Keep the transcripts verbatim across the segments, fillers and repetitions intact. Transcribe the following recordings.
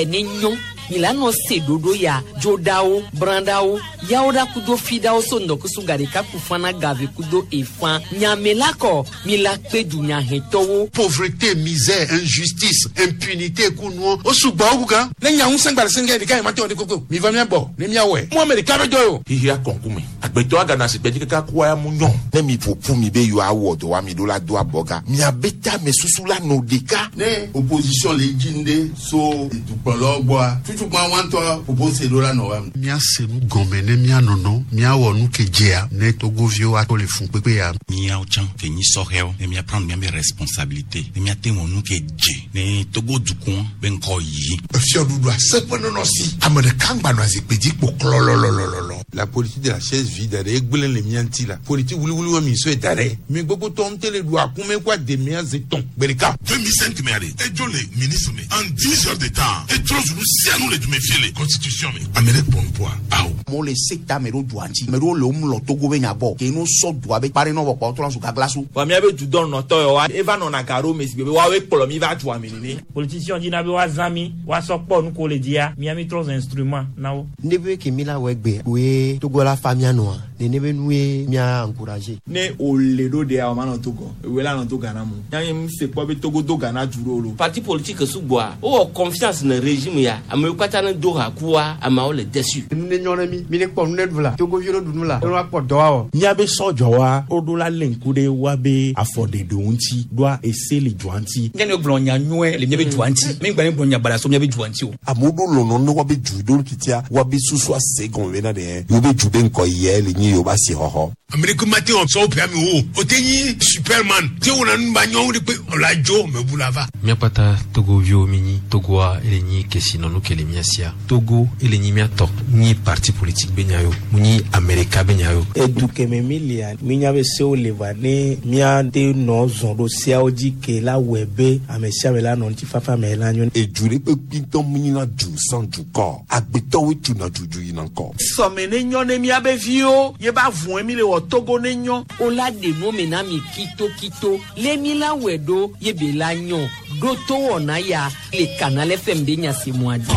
ne nyɔ mi la nɔ se ɖoɖo ya dzoɖawo brãɖawo yawo ɖa kudo fiɖawo so ŋdɔkusu gaɖeka ku fana gave kudo efã nyame la kɔ mi la kpe dunyahɛtɔwo. Pauvreté, misère, injustice, impunité kunuɔ o sugbɔ wu gan. Ne nya ŋusẽ gba le sɛngɛ ɖeka yi ma te wɔ de koko mi va mia bɔ ne mia wɔe mu ame ɖeka be dɔ ye o. Xixia kɔnkume agbetɔ agana si gbɛdzi kaka kua ya mu nyɔ. Ne mi ƒoƒu mi be yewoawɔ dɔ wa mi ɖo la do abɔga miabe tame susu la nɔ ɖeka. Ne opposition le dzi ŋɖe so dukplɔlawo gbɔa tutukpa wa ŋutɔ propose ɖo la nɔ wa. Míase nu gɔme ne míanɔnɔ míawɔ nu ke dzea ne togoviwo ato le fun kpekpe ya. Míawo tsã ke nyi sɔhɛwo ne míaprendre míabe responsabilité ne míate wɔ nu ke dze ne Togo dukɔ be ŋkɔ yi. Fiɔɖuɖu aseƒe nɔnɔ si ame ɖeka ŋgba nɔ azikpui dzi kpo klɔlɔlɔlɔlɔ. La politique de la chaise vide ɖe egblẽ le mía ŋuti la politique wuliwuli wa mi sɔe da ɖe mi gbogbo tɔ ŋute le ɖu akume kó ademea ze tɔn gbe ɖeka. deux mille cinq mɛ ale edzo le ministre me en dix heures de temps etrɔ zunu sianu le dume fie le constitution me ame ɖe kpɔn poa awo. Amewo le se ta ame ɖewo dua ŋuti ame ɖewo le wo mlɔ Togo be nya gbɔ ke no sɔ dua be kpare nɔ vɔ kpɔ trɔ zu gagla so. Wa míabe dudɔnɔtɔ yɔ wa eva nɔna gaɖo me si gbe be woawoe kplɔ mi va dua me nene. Politicien dina be woazã mi woasɔ kpɔ nu ko le dzia mía mi trɔ zu instrument na wo. Ne be ke mi la wɔ egbe woe Togo la fa mía nɔa nene be nu ye mía encourager. Ne o le ɖo ɖea o ma nɔ Togo ewoe la nɔ to Ghana mu yanyi m se kpɔ be Togo do Ghana du ɖo lo. Parti politique sugbɔa wowɔ confiance ne régime ya amewo katã ne do ha kua ameawo le déçu. Nu ne nyɔ ne mi mi ne kpɔ nu ne ɖu la Togoviwo ne ɖu nu la ne woakpɔ dɔ awɔ. Míabe sɔdzɔwa woɖo la lé ŋku ɖe woabe afɔɖeɖewo ŋuti ɖoa ese le dua ŋuti. Nye ne gblɔ nya nyuie le míabe dua ŋuti mi gba ne gblɔ nya baɖa so míabe dua ŋuti o. Amewo ɖo lɔlɔ ne woabe du ɖo titia woabe susu ase gɔme bena ɖe yewo be du be ŋkɔ yɛ le nyi yewo be asixɔxɔ. Ame ɖeke ma te wɔ sɔwɔ ƒea mi o o te nyi superman te wɔna nu ba nyɔnu ɖe kpe ɔla dzo me bu la va. Míakpata togoviwo mi nyi Togoa ele nyi kesinɔnu ke le mía sia Togo ele nyi míatɔ nyi parti politique be nya yo mu nyi Amerika be nya yo. Edu keme mi lia minya be sewo le va ne míate nɔ zɔn ɖo seawo dzi ke la wɔe be ame sia ame la nɔ ŋutifafa me la nyo. Edu ɖe kpekpe ŋutɔ mu nyina du sans dukɔ agbetɔwoe tuna dudu yina ŋkɔ. Sɔme ne nyɔ ne míabe viwo ye ba vɔe mi le wɔ Togo ne nyɔ. O la ɖe nu me na mi kitokito le mi la wɔe ɖo ye be la nyɔ ɖo to wɔna ya le Canal F M be nyasemua dzi.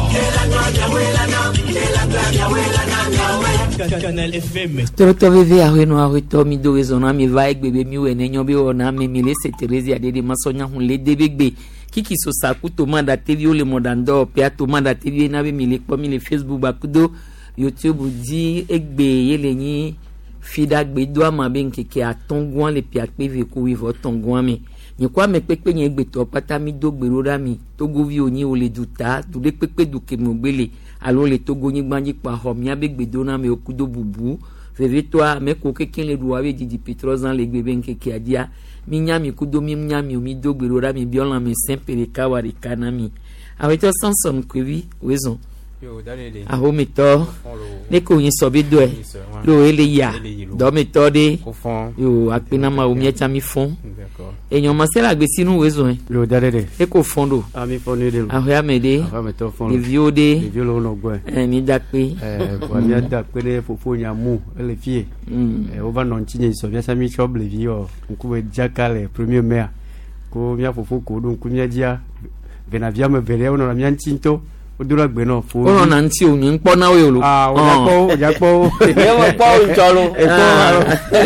Canal F M. Torotɔ veve ahɔenɔ ahɔetɔ mi do rezɔn na mi va egbe be mi wɔ ne nyɔ be wɔna me mi le se Terezia ɖe de masɔnya hun le de be gbe kiki sosaku tomada teviwo le mɔɖaŋdɔ ƒea tomada teviwo na be mi le kpɔ mi le Facebook bakudo YouTube dzi egbe ye le nyi fiɖagbe do ama be ŋkeke atɔ̃gɔa le piakpe ve ko wuieve tɔ̃gɔa me nye ko ame kpekpe nye gbetɔ kpata mi do gbe ɖo ɖa mi togoviwo nyi wo le duta du ɖe kpekpe du ke me gbe le alo le Togo nyigba dzi kpɔ axɔ miabe gbedoname kudo bubu vevitɔa ame ko keke le ɖu abe didi petrɔzã le gbe be ŋkekea dzia mi nya mi kudo mi nya mi o mi do gbe ɖo ɖa mi biɔ lãme sẽ ƒe ɖeka wa ɖeka na mi awetɔ Samson Koevi wezɔn ahometɔ ne ko nyi sɔ be dɔe lo ele ya dɔmetɔ ɖe yo akpenama wo miatsa mi fɔn enyɔmasɛ le agbesinu wezɔn Yo da ɖe. E ko fɔn ɖo Ah mi fɔn ɖe lo. Ahoyame ɖe Ahoyametɔ fɔn lo. Ɖeviwo ɖe Ɖeviwo le wo nɔ gbɔe. Ɛ mi da kpe. Ɛɛ bɔn mía da kpe ɖe fofo nyamu ele fie. Ɛ wova nɔ ŋutinye sɔ míasa mi tsɔ blevi wɔ ŋkume dzaka le premier mai ko mía fofo ko ɖo ŋku mía dzia venavia ame eve ɖe wonɔna mía ŋuti ŋutɔ wodona gbe nɔ fo. Wonɔna ŋuti o nye ŋkpɔ na wo lo. Aa o dza kpɔ wo o dza kpɔ wo. Nye me kpɔ wo ŋutɔ lo. Ekpɔ alo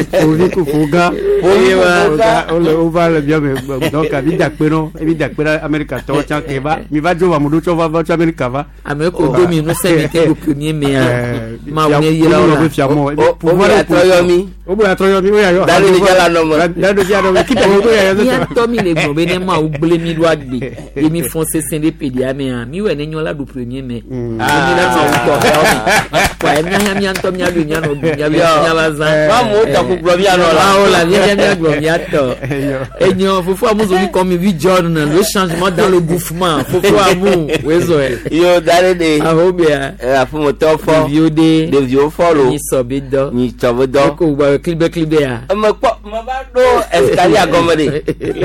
fovi ko fo gã. Fovi ko fo gã. Wole wova le mía me donc mi da kpe nɔ mi da kpe ɖe Amerika tɔwo tsã ke va mi va dzo va mo ɖo tsɔ va va tso Amerika va. Ame ko do mi ŋusẽ mi te ɖo premier mai a mawu ne yra wo la. Fia mɔ O- o be atrɔ yɔ mi. O be atrɔ yɔ mi o ya yɔ. Da ɖe dza la nɔ me. Da ɖe dza nɔ me kita wo ya yɔ. Míatɔ mi le gblɔ be ne mawu gblẽ mi ɖo agbe ye mi fɔn sesẽ ɖe ƒe mea mi wɔ ne nyɔ la ɖu premier mai. Ah mi la mawu tɔ xewo me kɔa mía hã mía ŋutɔ mía ɖu mía nɔ ɖu mía be mía va zã. Mamu tɔ ko gblɔ mía nɔ la. Awo la mía mía mía gblɔ mía tɔ. Enyo fofo amu zomi kɔ mi vi John le changement dans le gouffement fofo amu wezɔ yɛ. Yo da ɖe de. Aho bia. Ɛ aƒemetɔ fɔ. Ɖeviwo ɖe. Ɖeviwo fɔ lo. Nyi sɔ be dɔ. Nyi sɔ be dɔ. Eko gba klibe klibe ya. Eme kpɔ me va ɖo escalier gɔme ɖe.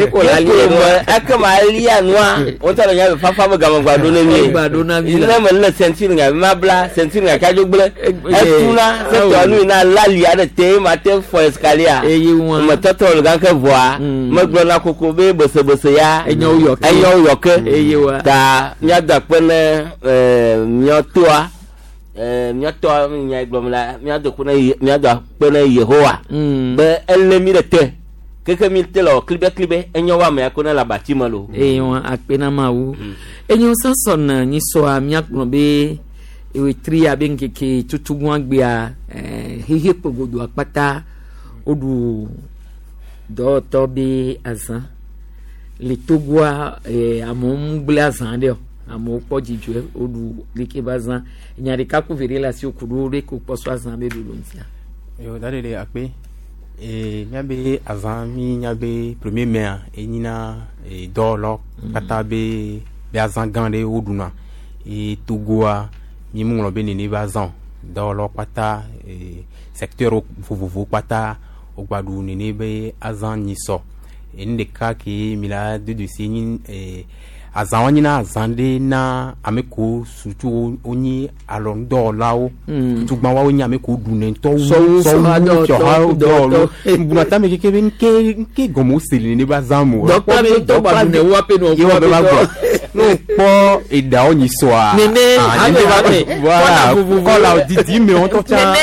Eko la lia me eke ma lia nua wotɔ le nya be fafa be game gba ɖo ne mi. Gba ɖo na mi la. Ne me le ceinture ŋa ma bla ceinture ŋa kadzo gblẽ. Etuna setɔ nu yina lali aɖe te ma te fɔ escalier. Eye wọn. Me tɔtɔ le gake vɔa. Megblɔ na koko be besebese ya. Enyawo yɔ ke. Enyawo yɔ ke. Eye wa. Ta míado akpe ne ɛɛ míatɔa ɛɛ míatɔa nya gblɔm la míado akpe ne míado akpe ne Yehowa. Be ele mi ɖe te. Keke mi te le wɔ klibe klibe enyawo amea ko ne le abati me lo. Eye wọn akpe na Mawu. Enyo sɔsɔ nyisɔa míagblɔ be ewetri abe ŋkeke tutugbɔn gbea ɛɛ xexe kpogodo akpata woɖu dɔwɔtɔ be azã le Togoa ɛɛ amewo ŋugble azã ɖe o amewo kpɔ dzidzɔe woɖu leke be azã nya ɖeka ko ve ɖe le asi wo ku ɖo ɖe ko kpɔ so azã be ɖoɖo ŋutia. Yo da de akpe e miabe azã mi miabe premier mai enyina e dɔwɔlɔ kpata be be azã gã ɖe woɖuna e Togoa mi mu ŋlɔ be nene be azã o dɔwɔlɔ kpata e secteur vovovo kpata wogba ɖu nene be azã nyisɔ enu ɖeka ke mi la do dosi nyi e azã nyina azã ɖe na ame ko surtout wonyi alɔnudɔwɔlawo tutugbã woawo nye ame ko ɖunɛ ŋutɔ wu Sɔwu sɔwu fiɔha dɔwɔlawo ŋbuna tame keke be nke nke gɔme wose le nene be azã mo Dɔkita be ŋutɔ gba ɖunɛ wo aƒe nɔ ye wa be va gblɔ ne wokpɔ eɖawo nyisɔa Nene, ah, ame nene va me. voilà Kɔla vovovo. kɔla didi me ŋutɔ tsã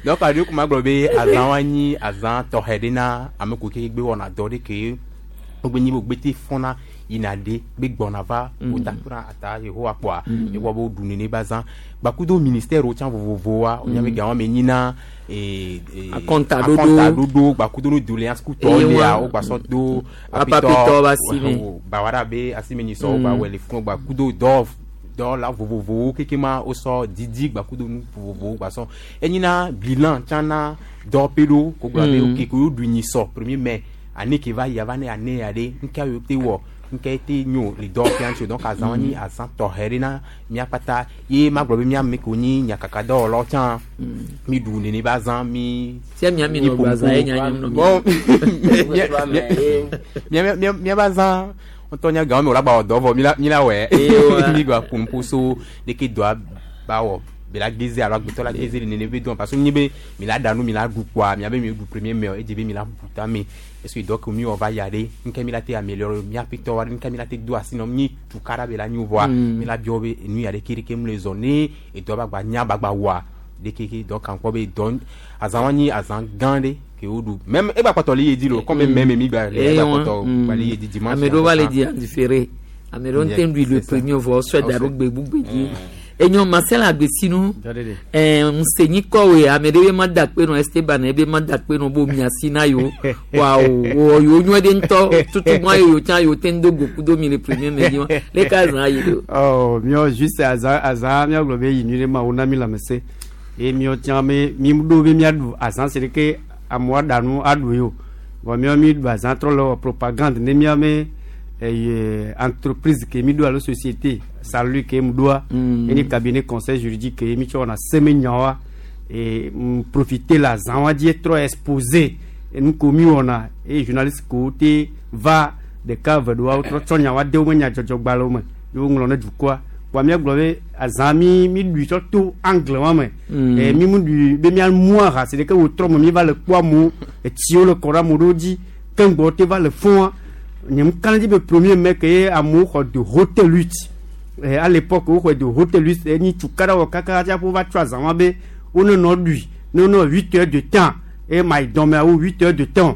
donc aɖewo ko ma gblɔ be azã wa nyi azã tɔxɛ ɖe na ame ko ke gbe wɔna dɔ ɖe ke wogbe nyi be wogbe te fɔna yina ɖe gbe gbɔna va wota kura ata Yehowa kpɔa ewɔ be woɖu nene be azã gbakudo ministère wo tsã vovovowoa wonya be gawo me nyina ee ee Akɔntaɖoɖo. akɔntaɖoɖo gbakudo no doléance kutɔwo Eye lea wa- wo gbasɔ do Apapitɔ be asime. bawara be asime nyisɔ wo gba wɔ le funu gbakudo dɔ dɔwɔla vovovowo keke ma wosɔ didi gbakudo nu vovovowo gbasɔ enyina bilan tsã na dɔwɔƒe ɖo ko gblɔ be Mm. ok ko yewoɖu nyisɔ premier mai année ke va yi ava ne année ya ɖe ŋkea yewo te wɔ ŋke te nyo le dɔwɔƒea ŋuti o donc azã wa nyi azã tɔxɛ ɖe na mía kpata ye ma gblɔ be mía ame kewo nyi nyakakadɔwɔlawo tsã mi ɖu nene be azã mi Sia mía mi nɔ ƒo ɖu azã ƒu. ye nya nye nɔ Bon, mía. mía mía mía mía be azã ŋutɔ nya gawo me wòle agba wɔ dɔ vɔ mi la mi la wɔe Ewa. mi gba ƒo nuƒo so leke dɔa ba wɔ be la geze alo agbetɔ la geze le nene be dɔn parce que nyi be mi la ɖa nu mi la ɖu kpoa mia be mi ɖu premier mai edze be mi la bu tame est ce que dɔ ke mi wɔ va ya ɖe ŋke mi la te améliorer mía ƒetɔ wa ɖe ŋke mi la te do asi nɔ mi tukaɖa be la nyo vɔa Mm. mi la biɔ be enu ya ɖe ke ɖeke mu le zɔ ne edɔ ba gba nya ba gba wɔa ɖeke ke dɔ kan kpɔ be dɔ azã wa nyi azã gã ɖe ke wo ɖu même egba kpɔtɔ le ye dzi lo comme Mm. même mi gba le Eye egba wa, kpɔtɔ mm. gba le ye dzi dimanche Ame ɖewo va le di en différé ame ɖewo ŋutɔ ɖui le premier vɔ wosɔe da ɖo gbegbugbe dzi enyo Marcel Agbesinu ɛɛ ŋusenyi kɔwe ame ɖe be ma da akpe nɔ Esteban ebe ma da akpe nɔ bo miasi na yewo wa o wɔ yewo nyuie ɖe ŋutɔ tutugbɔn yewo tsã yewo te ŋu do go kudo mi le premier mai dzi wa leke azã yi ɖo. Oh, míawo juste azã azã míagblɔ be yi nyui ɖe ma wo na mi lãmesẽ eye míawo tsã me mi ɖo be míaɖu azã si ɖeke amewo aɖa nu aɖu ye o vɔ míawo mi ɖu azã trɔ le wɔ propagande ne míame eye entreprise ke mi ɖo alo société salut ke mu ɖoa Mm. enye cabinet conseil juridique ke mi tsɔ wɔna semenyawoa e m profiter le azã wa dzi trɔ exposer nu ko mi wɔna eye journaliste kowo te va ɖeka eve ɖoa wotrɔ tsɔ nyawoa de wo me nyadzɔdzɔgbalẽwo me ye woŋlɔ ne dukɔa kpoa míagblɔ be azã mi mi ɖui tsɔ to angle wa me Mm. Eh, mi mu ɖui be míamu aha si ɖeke wòtrɔ me mi va le kpɔ amewo etsiwo le kɔ ɖe amewo ɖewo dzi keŋgbɔ te va le fũa nye mu ka ɖe dzi be premier mai ke ye amewo xɔ de haute lutte eh, à l'époque woxɔe de haute lutte enyi tukaɖa wɔ kaka tsaƒe wova tsɔ azã wa be wonenɔ ɖui ne wonɔ huit heures de temps eye ma yi dɔmea wo huit heures de temps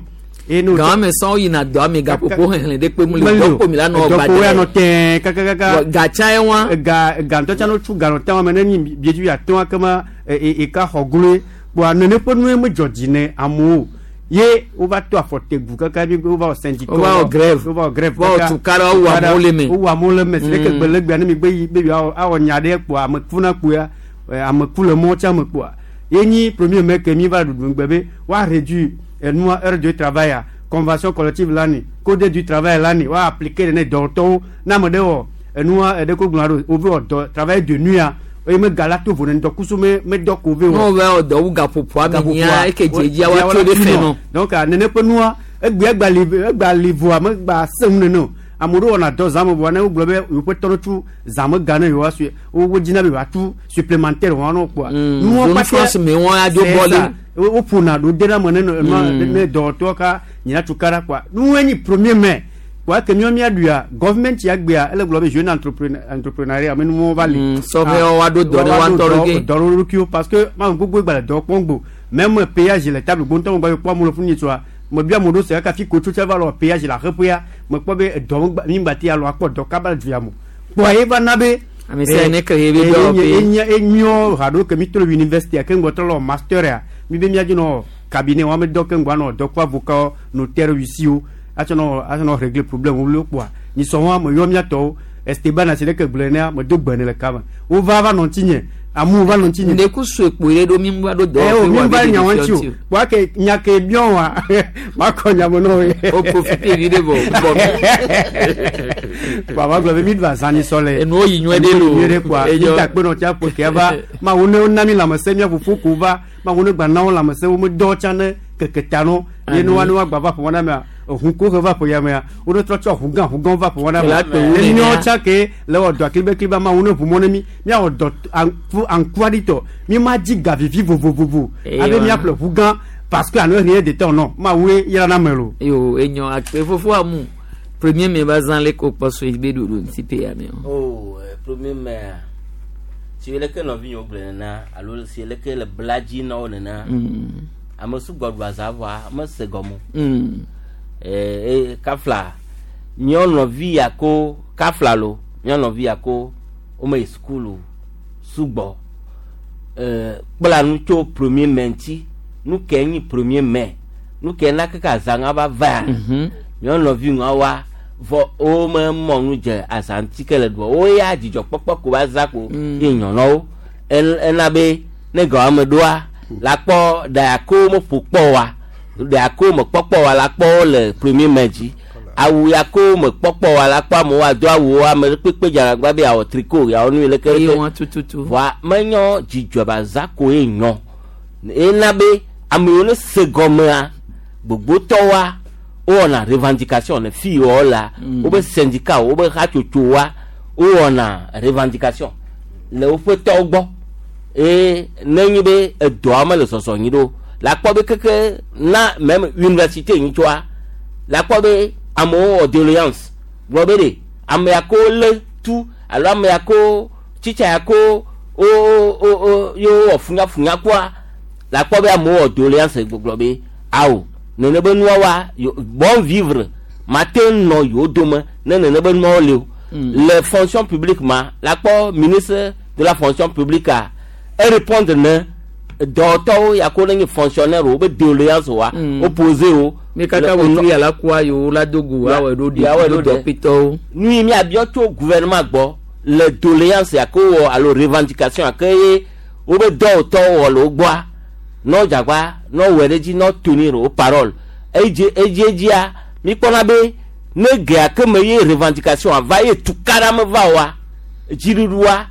eye ne Gan me sɔn yina dɔ ame gaƒoƒo xexlẽ ɖe kpe mu le dɔkpo mi la nɔ dɔkpo ya nɔ tɛɛ kakakaka gatsa ye wa ga ga ŋutɔ tsã no tsu ga nɔ tɛ wa me ne nyi biedzi atɔ̃ kema eka xɔ gloe kpoa nene ƒe nue medzɔ dzi ne amewo ye wova to afɔ te gu kaka bi wova wɔ syndicat Wova wɔ grève. wova wɔ grève Wova wɔ tukaɖa, wowu amewo le me. wowu amewo le me si ɖeke Mm. gbe le gbea ne mi gbe yi be yewoawɔ awɔ nya ɖe kpoa ame kuna kpoa eh, ame ku le mɔ tsã me kpoa ye nyi premier mai ke mi va ɖuɖu ŋgbe be woa réduire enua heure de travail a convention collective la ni code du travail la ni woa appliquer ne dɔwɔtɔwo ne ame ɖe wɔ enua eɖe ko gblɔna ɖo wove wɔ dɔ travail de nuit a eye me ga la to vo ne ŋdɔkusu me me dɔ ko ve wɔ Ne wova wɔ dɔ wu gaƒoƒoa me nyia eke dzedzia woatso ɖe fɛ nɔ. donc ah, nene ƒe nua egbe egba li egba li voa megba se ŋu nene o Ame ɖewo wɔna dɔ zãme vɔa ne wogblɔ be yewoƒe tɔ ɖo tu zãme ga ne yewoa su wo wodzina be yewoatu supplémentaire wɔn na wo kpoa. Nuwo zone kpata- France me wɔn adzo C'est bɔli. ça. Wo- woƒona ɖo de ɖe ame ne nɔ- nua- Mm. ne dɔwɔtɔ ka nyina tukaɖa kpoa nuwoe nyi premier mai kpoa ke míawo míaɖuia government ya gbea ele gblɔ be jeune entrepreneur entrepreneuriat ame nuwo va li. sɔhɛwo woaɖo dɔ ne woa ŋutɔ ɖokui. dɔ ɖe ɖokuiwo parce que mamu gbogbo gba le dɔ kpɔm gbo même péage le table gbóntɔ me gba kpɔ amewo le funu nyitsɔa mebia amewo ɖo se kaka fi kotso tse va lɔ péage le aƒeƒea mekpɔ be edɔ me gba mi gba te alɔ akpɔ dɔ kaba le du ya me kpoa ye va na be. Ame sia ne ke ye be dɔwɔƒe. enye enyɔ haɖo ke mi to le université ke ŋgbɔ trɔ le master ya mi be miadzi nɔ cabinet wɔn ame dɔ ke ŋgbɔ anɔ dɔ kple avocat notaire huissier atsɔ nɔ atsɔ nɔ régler problème wo kpoa nyisɔ wɔn me yɔ miatɔwo Esteban asi ɖeke gblɔe nea me do gbe ne le kame wova va nɔ ŋutinye amewo va nɔ ŋutinye. Ndeku sue kpo ye ɖo mi va ɖo Eh, dɔwɔƒe o mi wa va be nya ɖeɖi wɔn ŋuti o fiɔ kpoa ke nya ke biɔ wa makɔ nya me n'o ye. O profite vi ɖe vɔ bɔ mi. Kpoa ma gblɔ be mi ɖu azã sɔ le. Enuwo yi nyuie ɖe loo. Nyuie ɖe kpoa Enyɔ. mi ta kpe nɔ tsia ƒo ke va mawu ne wona mi lãmesẽ mía fofo ko va mawu ne gba na wo lãmesẽ wo me dɔ tsã ne keke ta no ye ne wa ne wa gba va ƒo wɔna mea ehu ko he va ƒo ya mea wo ne trɔ tsɔ ʋu gã ʋu gãwo va ƒo wɔna La mea kpe wu ne nenea. míawo tsã ke le wɔ dɔ aklibe mawu ne ʋu mɔ ne mi míawɔ dɔ anku ankuaɖitɔ mi ma dzi ga vivi vovovovo Ewa. abe míaƒle ʋu gã parce que alo rien de temps non mawu ye yra na me lo. Yo enyɔ akpe fofo amu premier mai ba zã le ko kpɔ so be ɖoɖo ŋuti pe ya me o. Oh, eh, premier mai si leke nɔvinyewo gblɔ nena alo si leke le bla dzi na wo nena Mm. ame sugbɔ ɖu azã vɔa mese gɔme o. Mm. Eh, eh, kafla míawo nɔvi ya ko kafla lo míawo nɔvi ya ko wome yi sukulu sugbɔ eh, kpla nu tso premier mai ŋuti nu ke nyi premier mai nu ke na keke azãŋa va va míawo nɔvi ŋua wa vɔ wome mɔ nu dze azã ŋuti ke le ɖua wo ya dzidzɔkpɔkpɔ ko va za ko Mm. ye nyɔ na wo En- ena be ne ga ame ɖoa la kpɔ ɖa ya ko meƒo kpɔ wa ɖa ya ko mekpɔkpɔ wa la kpɔ wo le premier mai dzi awu ya ko mekpɔkpɔ wa la kpɔ amewo ado awuwo ame kpekpe dzaragba be yeawɔ tricot yeawɔ nu yi leke Eye leke wɔn tututu. vɔa menyɔ dzidzɔ ba za ko ye nyɔ ena be ame yiwo ne se gɔmea gbogbotɔwoa wowɔna revendication le fi yiwo la Mm. wobe syndicat wobe hatsotsowoa wowɔna revendication le woƒe tɔwo gbɔ eye nenye be edɔa mele sɔsɔ nyi ɖo la kpɔ be keke na même université nyi tsoa la kpɔ be amewo wɔ doléance gblɔ be ɖe ame ya ko lé tu alo ame ya ko tsitsa ya ko wo wo wo yewo wɔ funyafunya kɔa la kpɔ be amewo wɔ doléance gbɔgblɔ be awo nene be nua wa yo- bon vivre mate nɔ yewo dome ne nene be nuawo le o le fonction publique ma la kpɔ ministre de la fonction publique a e répondre ne dɔwɔtɔwo ya ko ne nye fonctionnaire wo be doléance wa Mm. opposé wo Mi kaka Le- wotri ala kua yewo la do go awɔ ɖo ɖe Awɔe ɖo ɖo ɖe. dɔƒetɔwo. nu yi miabiɔ tso gouvernement gbɔ le doléance ya ke wɔ alo revendication ya ke ye wobe dɔwɔtɔwo wɔ le wo gbɔa nɔ dzagba nɔ wɔ ɖe dzi nɔ tenir wo parole edzi edzi edzia mikpɔna be ne gea ke me ye revendication ava ye tukaɖa me va oa dziɖuɖua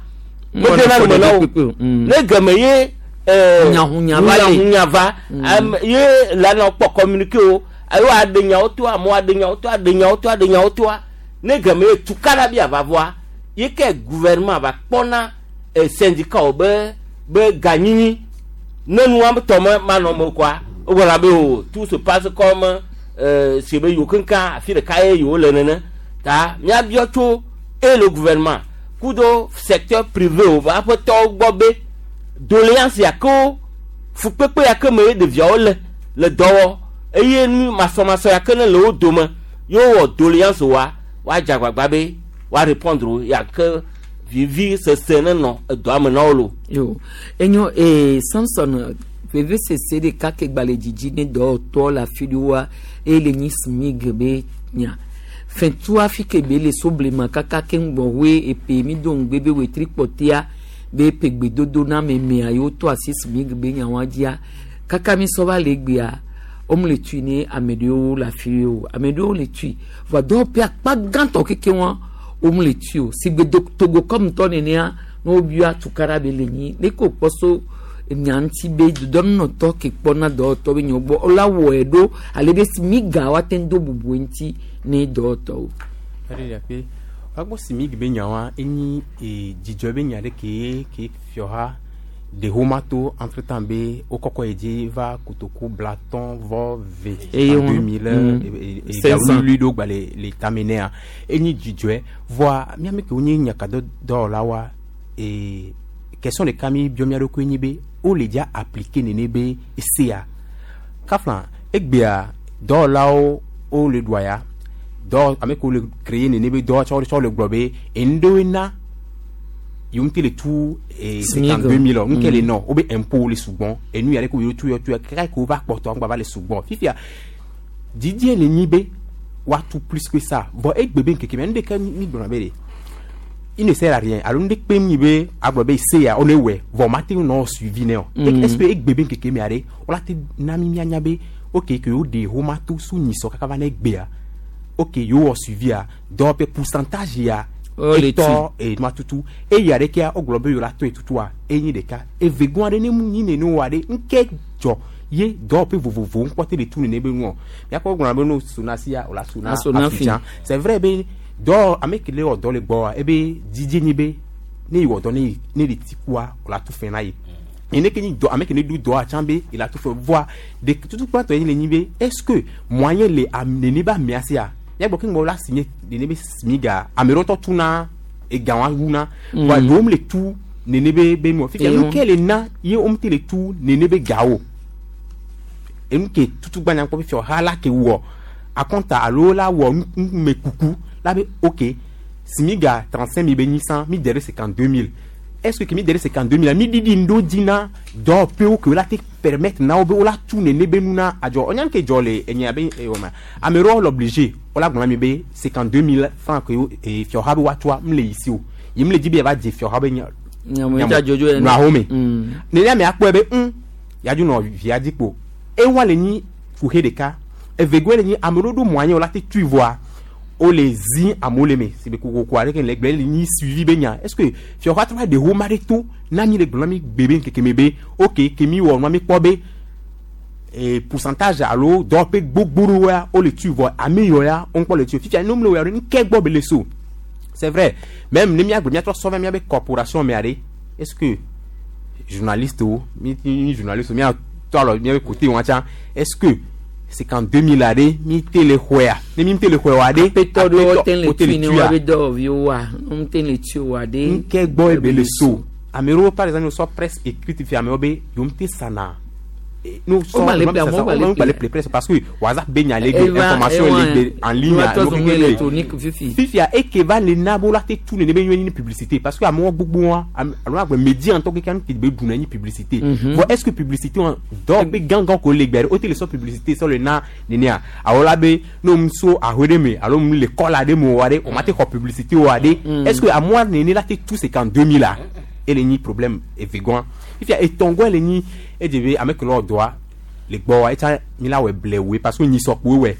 medena nu me na wo ne geme ye eh, Hunyahunya va le. hunyahunya va ame ye la nɔ kpɔ communiqué o ayo aɖe nyawo toa amewo aɖe nyawo toa aɖe nyawo toa aɖe nyawo toa ne geme ye tukaɖa bi ava vɔa ye ke gouvernement va kpɔna eh, syndicat wo be be ganyinyi ne nua tɔ me manɔ me koa wogblɔna be o tout se passe comme euh, si be yewo keŋkeŋ afi ɖeka ye yewo le nene ta míabiɔ tso e le gouvernement kudo secteur privé wo ƒe aƒetɔwo gbɔ be doléance ya ke wo fukpekpe ya ke me ye ɖeviawo le le dɔ wɔ eye nu masɔmasɔ ya ke ne le wo dome ye wowɔ doléance wa woadze agbagba be woa répondre wo ya ke vivi sese ne nɔ edɔa me na wo lo. Yo enyo ee Samson veve sese ɖeka ke gba le dzidzi ne dɔwɔtɔ le afi ɖewoa eye le nyi smig be nya fɛntua fi ke be le so blema kaka ke ŋgbɔ hoe epe mi do ŋugbe be wetri kpɔtea be epe gbedodo na memea yewo to asi smig be nyawoa dzia kaka mi sɔ va le egbea wome le tui ne ame ɖewo le afi ɖewo ame ɖewo le tui vɔa dɔwɔƒe akpa gãtɔ keke wɔn wome le tui o si gbe do togo kɔmutɔ nenea ne wobia tukaɖa be le nyi ne ko kpɔ so nya ŋuti be dodɔnunɔtɔ ke kpɔna dɔwɔtɔ be nyawo gbɔ wola wɔe ɖo ale be si mi ga woate ŋu do bubu ŋuti ne dɔwɔtɔwo. Ɛɖe ɖe aƒe woagbɔ SMIG be nyawoa enyi e dzidzɔ be nya ɖe ke ke fiɔha de homa to entre temps be wokɔkɔ yi dzi va kotoku blatɔn vɔ ve Eye en wɔn- deux mille mm. e- e- Cinq cents. wuli ɖo gba le le tame nea enyi dzidzɔe vɔa míame ke wonye nyakadɔwɔlawoa e question ɖeka mi biɔ mía ɖokui nyi be wole dza appliquer nene be esea kafla egbea dɔwɔlawo wole ɖua ya dɔ ame kewo le créer nene be dɔ tsɔ tsɔ le gblɔ be enu ɖewoe na yewo ŋuti le tu eh, SMIG. cinquante-deux mille ŋke le Mm. nɔ wobe impôt le sugbɔn enu ya ɖe ko yewo tu yɔ tu yɔ kaka ke wova kpɔtɔ ŋgba va le sugbɔn fifia didie le nyi be woatu plus que ça vɔ egbe be ŋkeke mea nu ɖeke mi gblɔna be de il ne sert à rien alo nu ɖe kpem nyi be agblɔ be se ya wo ne wɔe vɔ mate ŋu nɔ suivi nɛ o Mm. est ce que egbe be ŋkeke mea ɖe wola te na mi mianya be ok ke yewo ɖe homa to su nyisɔ kaka va ne egbea ok yewo wɔ suivia dɔwɔƒe pourcentage ya Oh, le etɔ enua tutu eya ɖekea wogblɔ be yewo la tɔe tutua enyi ɖeka evegɔa ɖe ne mu nyi nene wa ɖe ŋke dzɔ ye dɔwɔƒe vovovowo ŋkpɔ te le tu nene be nuɔ miakpɔ gblɔna be no sonasia o la sona A sona fi. afidjan c'est vrai be dɔ ame ke le wɔ dɔ le gbɔa ebe dzidzi nyi be ne yi wɔ dɔ ne yi ne le ti kua o la tu fɛn na ye ene ke nyi dɔ ame ke ne du dɔa tsã be il a tout fait voa de tutu kpɔtɔ ye le nyi be est ce que moyen le am nene be amea sia miagbɔ ke ŋgɔ la signé nene be smiga ame ɖewo tɔ tuna ega wa wuna Mm. voa ɖewo me le tu nene be be nuɔ fifia Eye nu wo- ke le na ye wo te le tu nene be gawo enu ke tutu gbanya kpɔ fifia ha la ke wɔ akɔnta alo la wɔ nu me kuku la be ok smiga trente cinq mille be nyi san mi dere cinquante deux mille est ce que mi dere cinquante deux mille mi didi ŋdo dzi na dɔwɔƒewo ke wo la te permettre na wo be wo la tu nene be nu na adzɔ ɔnya ke dzɔ le enya be ewɔ ma ame ɖewo le obligé wo la gblɔ na mi be cinquante deux mille francs ke wo e fiɔha be woatsɔa m le yi si o yi m le dzi be yava dze fiɔha be nya Nyame dza dzodzo ene. nɔ ahome Mm. nene ame akpɔe be ŋ yadu nɔ via dzi kpo ewa le nyi kuxe ɖeka evegoe le nyi ame ɖewo ɖo moyen wo la te tui voa wole zi amewo le me si be kokoko aɖe ke le gblẽ le nyi suivi be nya est ce que fiɔha trɔ va ɖe homa ɖe to na mi le gblɔ na mi gbe be ŋkeke me be ok ke mi wɔ nua mi kpɔ be eh, pourcentage alo dɔwɔƒe gbogbo ɖewoa wole tui vɔ ame yɔ ya wo ŋkpɔ le tui fifia ne womle wɔ ya ɖe ŋke gbɔ be le so c'est vrai même ne miagblɔ miatrɔ sɔ va miabe corporation mea ɖe est ce que journaliste wo mi mi journaliste wo miatɔ alɔ miabe côté wɔn tsã est ce que cinquante deux mille aɖe mi te le xɔea ne mi te le xɔe wa ɖe Apetɔ ɖewo te le wo te tui ne tuia. woabe dɔwɔviwo wa wo te le tui wa ɖe. ŋke gbɔ ebe le so ame ɖewo par exemple sɔ presse écrite fi amewo be yewo te sana Eh, no sɔ Wo gba le no ple, amewo sasa, gba le wo gba le ple. ple presse parce que WhatsApp be nya le gbe Eva- information ewa, le gbe en ligne wa trɔ no zɔn keke le. électronique fifi. fifia eke va le na be wola te tu nene be nyɔnyi ni publicité parce que amewo gbogbo wa ame- alo agbe média ŋutɔ keke nu ke be ɖuna nyi publicité Mhm. bon est ce que publicité wa dɔwɔƒe gãgã ko le gbe ɖe wote le sɔ publicité sɔ le na nenea alo la be ne mu so ahoe ɖe me alo mu le kɔla ɖe me wa ɖe o ma te xɔ publicité wa ɖe Mm. est ce que amewoa nene la te tu cinquante deux mille a ele nyi problème evegɔa fifia etɔngɔe le nyi edze be ame ke le wɔ dɔa le gbɔ wa etsa mi la wɔ blewoe parce que nyisɔkpoe wɔe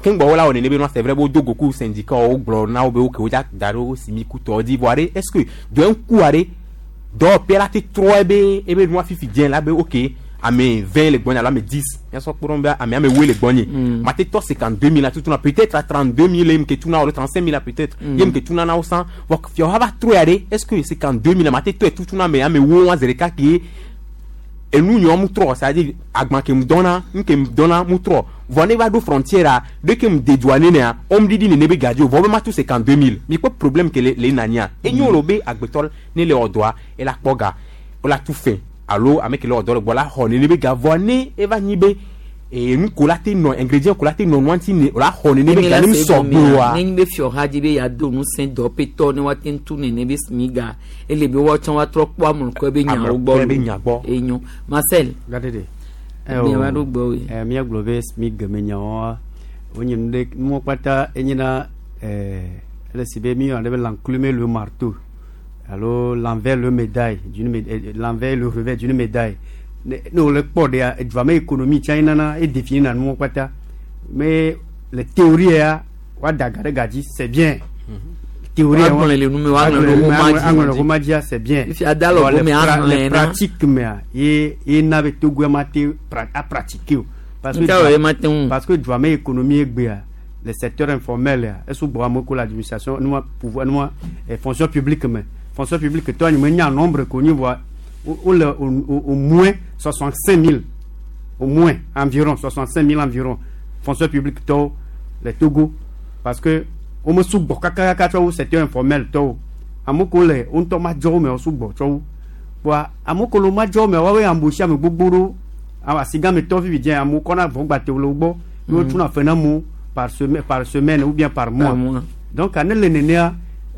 ke ŋgbɔ wo la wɔ nene be nua c'est vrai be wodo goku syndicat wo gblɔ na wo be wo ke wo dza da ɖe wo simi kutɔ dzi vɔa ɖe est ce que dɔe ŋkua ɖe dɔwɔƒea la te trɔ ebe ebe nua fifi dze la be ok ame vingt le gbɔnye alo ame dix miasɔ kpɔ ɖe be ame ame woe le gbɔnye Mm. ma te tɔ cinquante deux mille la tutuna peut être à trente deux mille ye mu ke tuna alo trente cinq mille la peut être Mm. ye mu ke tuna na wo san vɔ fiɔha va trɔe ya ɖe est ce que cinquante deux mille la ma te tɔe tutuna ame ame wo wa zi ɖeka ke enu nyɔ mu trɔ c'est à dire agban ke mu dɔnna nu ke mu dɔnna mu trɔ vɔ ne va ɖo frontière a de ke mu dédouané nea wo mu ɖiɖi nene be gadzi o vɔ be ma tu cinquante deux mille mi kpɔ problème ke le le nania enyo le be agbetɔ ne le wɔ dɔa ela kpɔ ga wola tu fɛn alo ame ke le wɔ dɔ le gbɔ la xɔ nene be ga vɔ ne eva nyi be ee nu ko la te nɔ ingrédient ko la te nɔ nua ŋuti ne o la xɔ nene be ga ne mu sɔgbe oa. ne nyi be fiɔha dzi be yeado ŋusẽ dɔwɔƒetɔ ne woate ŋu tu nene be smiga ele be woatsã woatrɔ kpɔ amlɔkɔe be nyawo gbɔ Amlɔkɔe be nya gbɔ. enyo Marcel Gadede. Mia va ɖo gbɔ woe. Eh, míagblɔ be SMIG me nyawoa wonye nu ɖe nuwo kpata enyena eh, ele si be míyɔna ɖe be l'enclume le marteau alo l'envers le médaille d'une mé- eh, l'envers le revers d'une médaille ne ne wole kpɔ ɖea edua me économie tsã enana edéfinir na nuwo kpata mais le théorie ya woada ga ɖe ga dzi c'est bien théorie ya Woagblɔe le nu me, woaŋlɔ ɖe woma dzi. aŋlɔ ɖe woma dzia c'est bien Fifia da le Bon, gome pra- ahlẽ le na. pratique mea ye ye na be Togoa ma te pra- a pratiquer o parce que Nka wɔ ye ma te ŋu. parce que dua me économie egbea Le secteur informel ya esugbɔ ame ko le administration nua pouvoir nua eh, fonction publique me fonction publique tɔ anyi me nya nombre ko nyi voa wole au, au, au moins soixante-cinq mille, au moins environ soixante-cinq mille environ fonction publique tɔwo le Togo, parce que wome sugbɔ kakaka tsɔ wu secteur informel tɔwo. Ame ko le wo ŋutɔ ma dzɔ wo me wo sugbɔ tsɔ wu voa ame ko le wo ma dzɔ wo me woawoe embauché ame gbogbo ɖo asigametɔ fifi dze amewo kɔna vɔ gbate le wo gbɔ ye wotuna fe na amewo par semaine par semaine ou bien par mois. Par mois. Donc ane le nenea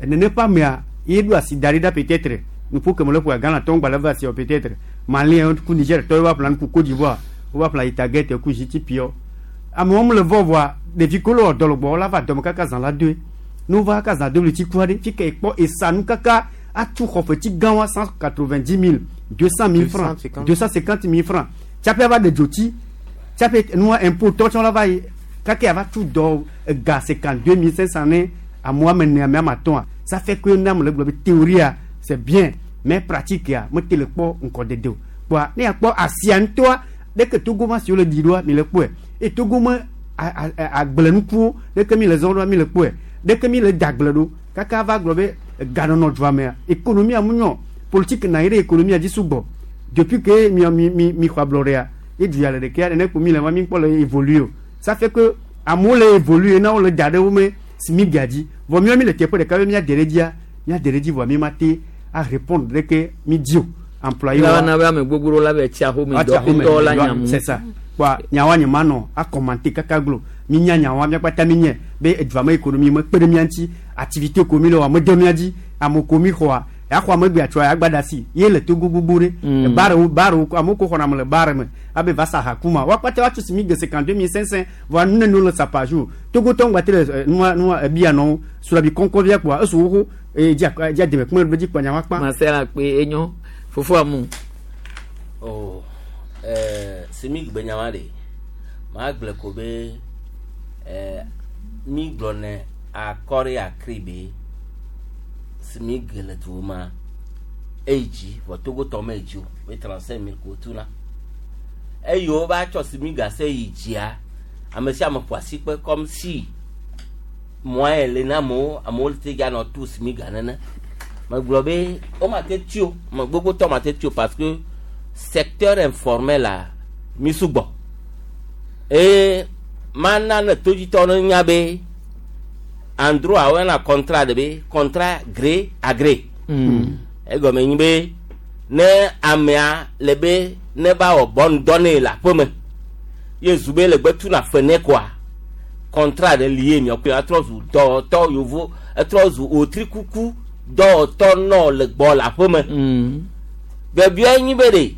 nene ƒe amea ye ɖo asi da ɖi ɖa peut-être nuƒo ke me le ƒoa Ghana tɔwo gba le va asi o peut-être Malien ku Niger tɔwo va ƒla nu ku Côte d'Ivoire wo va ƒla Itaget ku G T P o amewo mu le vɔ voa ɖevi ko le wɔ dɔ le gbɔ wola va dɔme kaka zã la doe ne wova kaka zã do le tsi ku aɖe fi ke ekpɔ esa nu kaka atu xɔfetsi gã wa cent quatre-vingt-dix mille, deux cent mille francs, deux cent cinquante mille francs tsaƒe ava ɖe dzotsi tsaƒe nua impôt tɔ tsɔ la va yi kake ava tu dɔ ega cinquante deux mille cinq cent ne amewo ame ene ame ame atɔ̃a. Ça fait que ne ame le gblɔ be théorie a c'est bien, mais pratique ya mete le kpɔ ŋkɔdede o kpoa ne yakpɔ asia ŋutɔa ɖeke Togo ma siwo le ɖi ɖoa mi le kpɔe eye Togo me agblenukuwo ɖeke mi le zɔn ɖoa mi le kpɔe ɖeke mi le da agble ɖo kaka va gblɔ be ganɔnɔ dua mea économie mu nyɔ politique na yi ɖe économie dzi sugbɔ depuis que mi mi mi mi xɔ ablɔɖea ye du ya le ɖekea nene kpo mi le ma mi kpɔ le évoluer o. Ça fait que amewo le évoluer na wo le da ɖe wo me SMIG dzi vɔ miɔ mi le teƒe ɖeka be mía de ɖe dzia mía de ɖe dzi vɔ mi ma te a répondre ɖeke mi dzi o employé wa na be ame gbogbo la be tsi axome dɔƒetɔ la nyamu. C'est ça kpoa nyawa nye ma nɔ a commenter kaka glo mi nya nyawa mía kpata mi nye be edua me économie me kpe ɖe mía ŋuti activité ko mi le wa me de mía dzi ame ko mi xɔa yaxɔ ame gbea tsɔa yagba da si ye le Togo gbogbo ɖe barewo barewo amewo ko xɔna me le bare me abe va sa ha kuma wa kpata wa tso si mi ge cinquante deux mille cinq cent voa nu nene le sa par jour Togo tɔ ŋgba te le nua nua ebia nɔwo sulabi kɔnkɔ via kpoa esu xoxo eye dzi dzi ademe kume ɖe dzi kpɔ nyawa kpa. Masela kpe enyo fofo amu. Oh, ɛɛ SMIG be nyawa de maa gblɔ ko be ɛɛ mi gblɔ ne akɔri akri be SMIG le du ma eyi dzi vɔ Togo tɔ me dzi o be trente cinq mille ko tuna eye wo va tsɔ SMIG ase yi dzia ame sia ame ƒo asi kpe comme si moyen le na amewo amewo te dza nɔ tu SMIG nene megblɔ be wo ma te tu o me gbogbo tɔ ma te tu o parce que secteur informel la mi sugbɔ eye mana ne todzitɔ ne nya be en droit woyɔna contrat de be contrat gré à gré Mm. Egɔme nyi be ne amea le be ne ba wɔ bɔnu dɔ ne le aƒeme ye zu be le gbe tuna fe ne koa contrat ɖe li ye miɔ atrɔ zu dɔwɔtɔ yovo etrɔ zu otrikuku dɔwɔtɔ nɔ le gbɔ le aƒeme Mm. biabia nyi be ɖe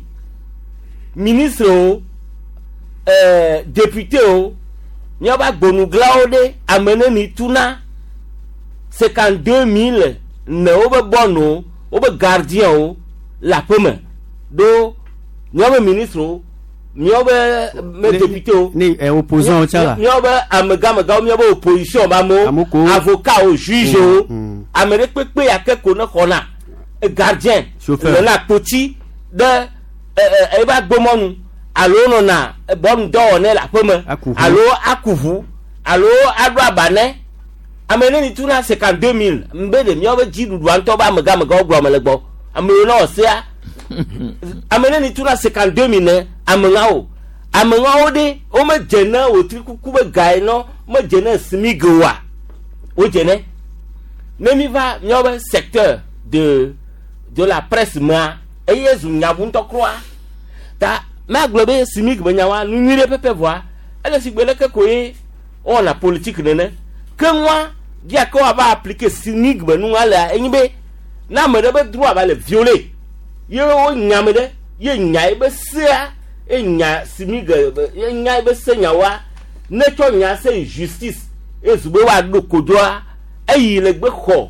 ministre o ɛɛ député o míaƒe agbonuglawo ɖe ame neni tuna cinquante deux mille ne wobe bɔnu wobe gardien o le aƒeme ɖo míaƒe ministre o míaƒe me député o ne ɛ opposant o tsa la. míaƒe amegamegãwo míaƒe opposition be amewo avocat o juge o ame ɖe kpekpe ya ke ko ne xɔna gardien Chauffeur. nɔna kpotsi ɖe ɛ ɛ ebe agbomɔnu alo nɔna bɔnu dɔwɔ ne le aƒeme alo aku ʋu alo aɖo aba ne ame neni tuna cinquante deux mille nbe de míaƒe dziɖuɖua ŋutɔ be amegamegãwo gblɔ me le gbɔ ame yiwo ne wɔ sea ame neni tuna cinquante deux mille ne ameŋawo ameŋawo ɖe womedze ne wòtri kuku be ga yi nɔ medze ne SMIG oa wodze ne ne mi va míaƒe secteur de de la presse mea eye zu nyabu ŋutɔ kura ta magblɔ be SMIG be nyawoa nu nyui ɖe pɛpɛ vɔa ele si gbe leke ko ye wowɔna politique nene ke ŋua dia ke woava appliquer SMIG be nua lea enyi be ne ame ɖe be droit va le violer ye wo nya ame ɖe ye nya ye be sea ye nya SMIG ye nya ye be se nyawoa ne tsɔ nya se yi justice ye zu be woaɖo kodzoa eyi le gbe xɔ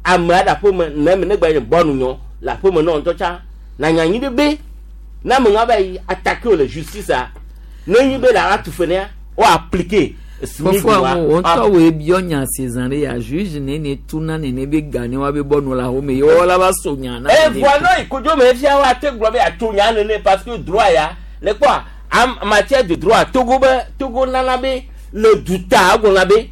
amea ɖe aƒeme ne me ne gba nye bɔnu nyɔ le aƒeme nɔ ŋutɔ tsã na nya nyi ɖe be ne ame ŋa va yi attaquer o le justice a ne nyi be le atu fe nea wo appliquer SMIG fofo amu wo ŋutɔ woe biɔ nya si zã ɖe ya juge nene tuna nene be ga ne wa be bɔnu le axome ye wɔla va so nya na. E voa nɔ yi kodzo me fia wa te gblɔ be atso nya nene parce que droit ya le kpɔa en matière de droit Togo be Togo nana be le duta egblɔna be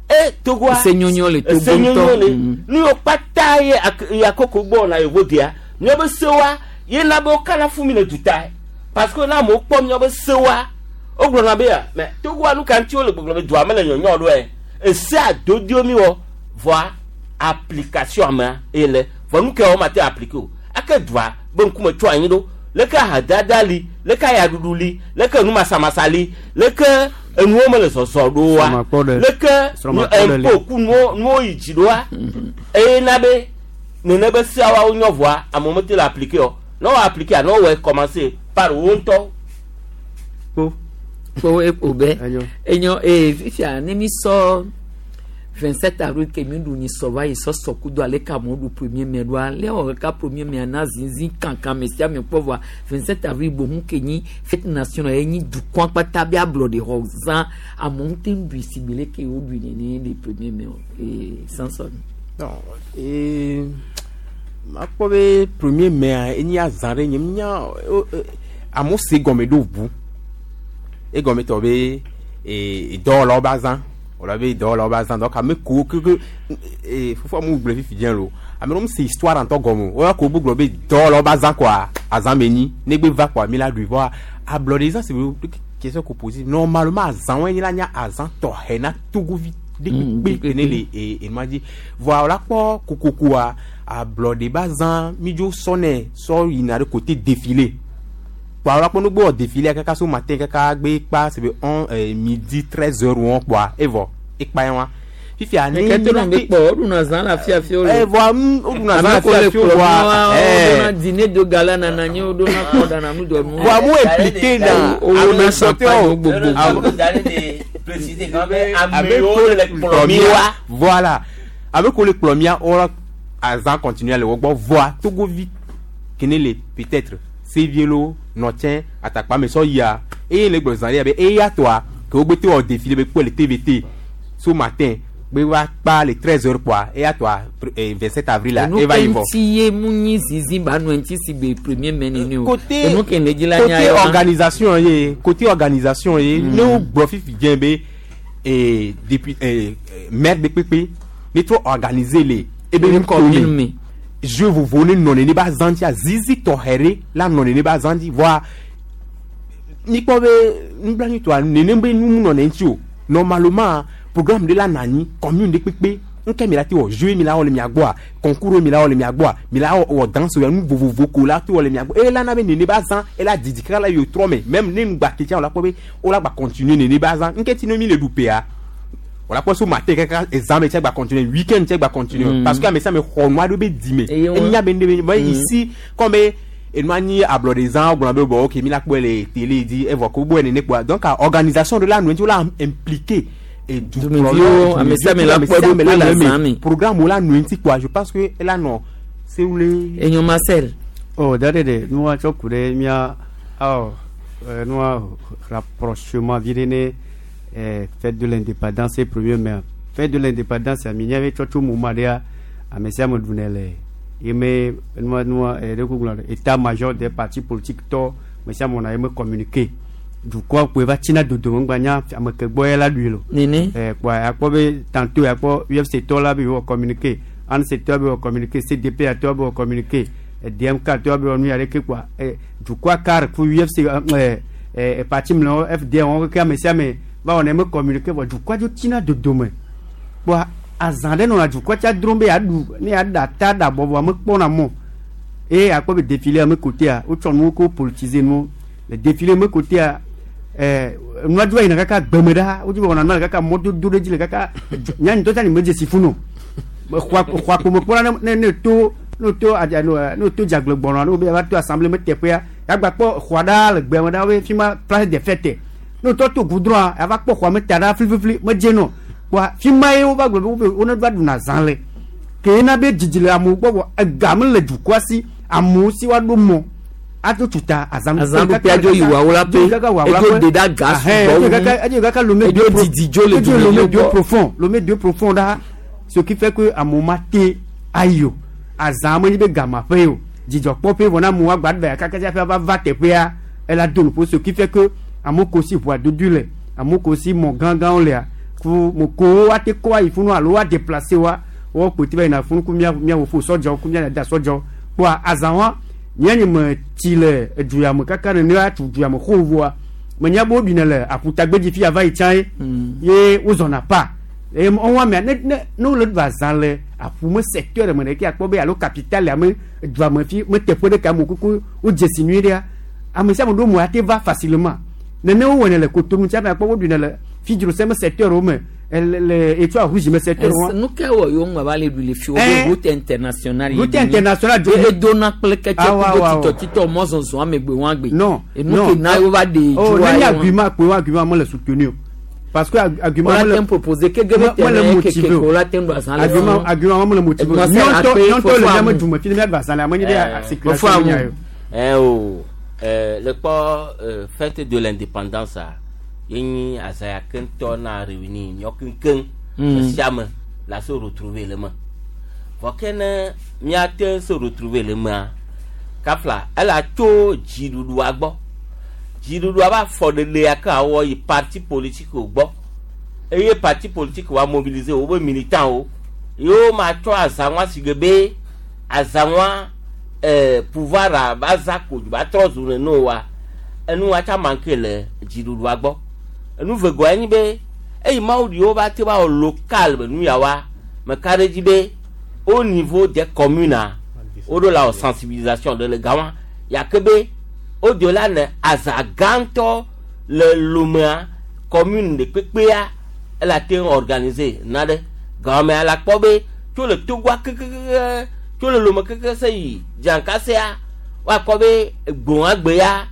E Togoa. Ese nyonyo le Togo Ese nyonyo le. ŋutɔ. Nu yiwo kpata ye ak- yakoko gbɔ na yevo dia. Míabe sewa ye na be wo kana fún mi le duta. Parce que na amewo kpɔ míabe sewa wogblɔna be ya mɛ Togoa nu ka ŋuti wole gbɔgblɔ be dua mele nyɔnyɔ ɖo yɛ. Ese adodo mi wɔ vɔa application amea eye le vɔ nu ke wo ma te appliquer o. Ake dua be ŋkume tso anyi ɖo leke ahadada li leke ayaɖuɖu li leke numasamasa li leke enuwo mele zɔzɔ ɖo wa Srɔ̃makpɔɖe. leke Srɔ̃makpɔɖe li. ɛnpo ku nuwo nuwo yi dzi ɖoa eye na be nene be seawo nyɔ vɔa amewo mete le appliquer o ne wo appliquer ne wowɔe commencer par wo ŋutɔ kpo kpo ekpo be enyo ee fifia ne mi sɔ vingt-sept avril ke mi ɖu ni sɔ va yi sɔ sɔ kudo ale ka amewo ɖu premier mai ɖoa le wɔ kaka premier mai na zinzin kankan me sia me kpɔ vɔa vingt-sept avril bohun ke nyi fête nationale ye nyi dukɔa kpata be ablɔɖe xɔ zã amewo te ŋu ɖui si gbe leke wo ɖui nene le premier mai o ee Samson. Non, ee makpɔ be premier mai enye azã ɖe nye nya amewo se gɔme ɖo ʋu egɔme tɔ be ee dɔwɔlawo be azã wòle be dɔwɔlawo be azã donc ame kowo keke ee fofoa mu gblɔ fifi dze lo ame ɖewo se histoire ŋutɔ gɔme o woya ko wo gblɔ be dɔwɔlawo be azã koa azã me nyi negbe va koa mi la ɖui vɔa ablɔɖe zã si be question ko pose normalement azã wo nye la nye azã tɔxɛ na togovi ɖe kpekpe ne le ee enua dzi vɔa wòla kpɔ kokokoa ablɔɖe be azã mi dzo sɔnɛ sɔ yina ɖe côté défilé kpoa wòla kpɔ nugbe wɔ défilé kaka so matin kaka gbe kpa c'est be on euh, midi treize heures wɔn kpoa evɔ ekpa ye wa fifia ne Kete nɔ be kpɔ woɖuna zã le afiafia o le. Eh, vɔa mm, woɖuna zã le Ame ko le afiafia o, kplɔ vɔa, mía, eh. woɖona dîner de gala nana anyi woɖona kplɔ ɖana nuɖɔnu. Vɔa mu impliqué na Owó na ame champagne gbogbo. préciser quand même amewo le kplɔ mi wa voilà ame ko le kplɔ mia wɔ azã continuer le wo gbɔ vɔa togovi kene le peut-être sevielo nɔtsɛ atakpa me sɔ yia eye le gblɔ zã ɖe be eya tɔa ke wo gbe te wɔ défilé be kpɔe le T V T so matin gbe va kpa le treize heures kpoa eya tɔa vingt sept avril la Enu eva ke yi vɔ. ŋuti ye mu nyi zinzin ba nu ŋuti si gbe premier mai nene o. Côté Enu ke ne dzi la nya côté ye wa. organisation ye côté organisation ye ne wo gblɔ fifi dze be ee depuis ee maire de kpekpe ne trɔ organiser le ebe Ebe commune me. jeu vovovo ne nɔ nene ba zã dzia zizi tɔxɛ ɖe la nɔ nene ba zã dzi vɔa mikpɔ be nublanuitɔa nene be nu mu nɔ ne ŋuti o. Normalement programme ɖe la nɔ anyi commune ɖe kpekpe nke mi la te wɔ jeu mi la wɔ le mia gbɔa concours mi la wɔ le mia gbɔa mi la wɔ wɔ danse ya nu vovovo ko la te wɔ le mia gbɔ eye la na be nene ba zã ela didi kaka la yi trɔ me même ne nugba ke tsã wòla kpɔ be wola gba continuer nene ba zã nke ti ne mi le ɖu pea wòla kpɔ so matin kaka ezã me tse gba continuer weekend tse gba continuer Mm. parce que ame sia ame xɔ nua ɖo be di me Eye wɔn- enya be ne be mais Mm. ici comme enua nyi ablɔɖe zã wogblɔ be bon ok mi la kpɔe le télé dzi evɔ ko gbɔe nene kpoa donc a organisation de la nu ŋuti wola impliqué et Dumeviwo, ame sia ame la kpɔ eɖokui le azã me. programme wo la nu ŋuti kpoa je pense que ela nɔ sewule. Enyo Marcel. Oh, da de nua tsɔ ku ɖe mía awɔ eh, nua rapprochement vi ɖe ne eh, fête de l'indépendance et premier mai. Fête de l'indépendance mi nya be tsɔ tso moment ɖea ame sia ame ɖunɛ le yeme nua nua eh, ɖe ko gblɔ état major des partis politiques tɔ ame sia ame wɔna yeme communiqué dukɔa kpoe va tsina dodome ŋgba nya ame ke gbɔ ye la ɖui lo. Nene. Eh, kpoa akpɔ be tantôt akpɔ U F C tɔ la be wɔ communiqué A N C tɔ be wɔ communiqué C D P tɔ be wɔ communiqué eh, D M K tɔ be wɔ nu ya ɖeke kpoa eh, dukɔa car ku U F C eh, eh, parti mlɔewo F D M wɔn keke ame sia ame va wɔna eme communiqué vɔ dukɔa dzo tsina dodome kpoa azã ɖe nɔna dukɔa tsa drom be yeaɖu ne yeaɖa ta ɖa bɔbɔ ame kpɔna mɔ eye akpɔ be défilé ame kotea wotsɔ nuwo ko politiser nuwo le défilé me kotea ɛɛ nua dzo yina kaka gbeme ɖa wodzi be wɔna nua le kaka mɔdodo ɖe dzi le kaka nya ŋutɔ tsa ni me dzesi funu xɔa xɔa kpome kpɔna ne ne ne to ne to adza ne ne to dzagble gbɔnɔ ne wo be yava to assemblée me teƒea yagba kpɔ xɔa ɖaa le gbeme ɖa wo fi ma place des fêtes ne wotɔ to goudron yava kpɔ xɔa me ta ɖa fliflifli me dze nɔ kpoa fi ma ye wova gblɔ be wo be wo ne va ɖuna zã le ke na be dzidzi le amewo gbɔ vɔ ega me le dukɔa si amewo si woaɖo mɔ ato tuta azã Azãɖuƒea dzo yi Wawolaƒe. Edzo de ɖe aga sugbɔ wu. edzo kaka Lomé Edzo didi dzo le edzo Lomé dumeviwo deux gbɔ. profond Lomé deux profond ɖa ce qui fait que amewo ma te ayi o azã me nyi be gamaƒe o dzidzɔkpɔƒe vɔ na amewo agba ɖe kaka tsaƒe va va teƒea ela do nuƒo ce qui fait que amewo ko si ʋua dodo le amewo ko si mɔ gãgãwo lea Ku mo ko wa te ko ayi funu alo wa déplacer wa wo ko ti ba ina funu ku mia mia wo fo sɔdzɔ ku mia da sɔdzɔ kpoa azã wa nye nye me tsi le edu ya me kaka ne ne atu du ya me xɔ voa me nya be wo ɖui le aƒutagbedzi fi ava yi tsã ye ye wozɔna pa eye wɔn amea ne ne ne wole ɖu azã le aƒu me secteur me ɖeke akpɔ be alo capitale ame dua me fi me teƒe ɖeka me kuku wodze si nyuie ɖea ame sia ame ɖo mo ate va facilement nene wowɔnɛ le Kotonu tsi ame akpɔ woɖui ne le Fidzrose me secteur wo me le le Etoile Rouge me secteur wo. Nu ke wɔ yewo ŋgba va le ɖu le fi wo Eh. be route internationale Route internationale do be dona kple ketse Ah, wa, kudo wa, wa. titɔtitɔ mɔzɔzɔ amegbe wɔn agbe. Non, enu non. ke na yewo va de Oh, dzoa ne ye nye argument kpe wo argument mele soutenu o parce que arg- argument Wọ́n mele la proposer kege me- be mele terrain motivé keke o. ko la te ɖu azã le argument funu. argument mele motivé o. Edmond Nyɔntɔ Akpe, nyɔntɔ le Fofo miame Amu. dume fi ne miaɖu azã le ame nyi be sécurité nya yo. Eh o eh, le kpɔ eh, fête de l'indépendance a ye nyi azã ya ke ŋutɔ na réunir míawo keŋkeŋ Mm. sia me la se retrouver le me vɔ ke ne míate se retrouver le mea kafla ela tso dziɖuɖua gbɔ dziɖuɖua ba afɔɖeɖe ya ke awɔ yi parti politique gbɔ eye parti politique wa mobiliser wobe militant wo yewo ma tsɔ azãŋua si ge be azãŋua eh, pouvoir a ba za ko ba trɔ zu nene o wa enu wa tsa manque le dziɖuɖua gbɔ enu vegoa nyi be eyi mawu ɖi wo ba te ba wɔ local be nu ya wa meka ɖe dzi be au niveau des communes a woɖo la wɔ sensibilisation ɖe le gama yake be wo do la ne azã gãtɔ le lomea commune ɖe kpekpea ela te ŋu organiser na ɖe gamea la kpɔ be tso le togoa kekekeke tso le lome keke se yi dziankasea woakpɔ be gbɔ̃a gbe ya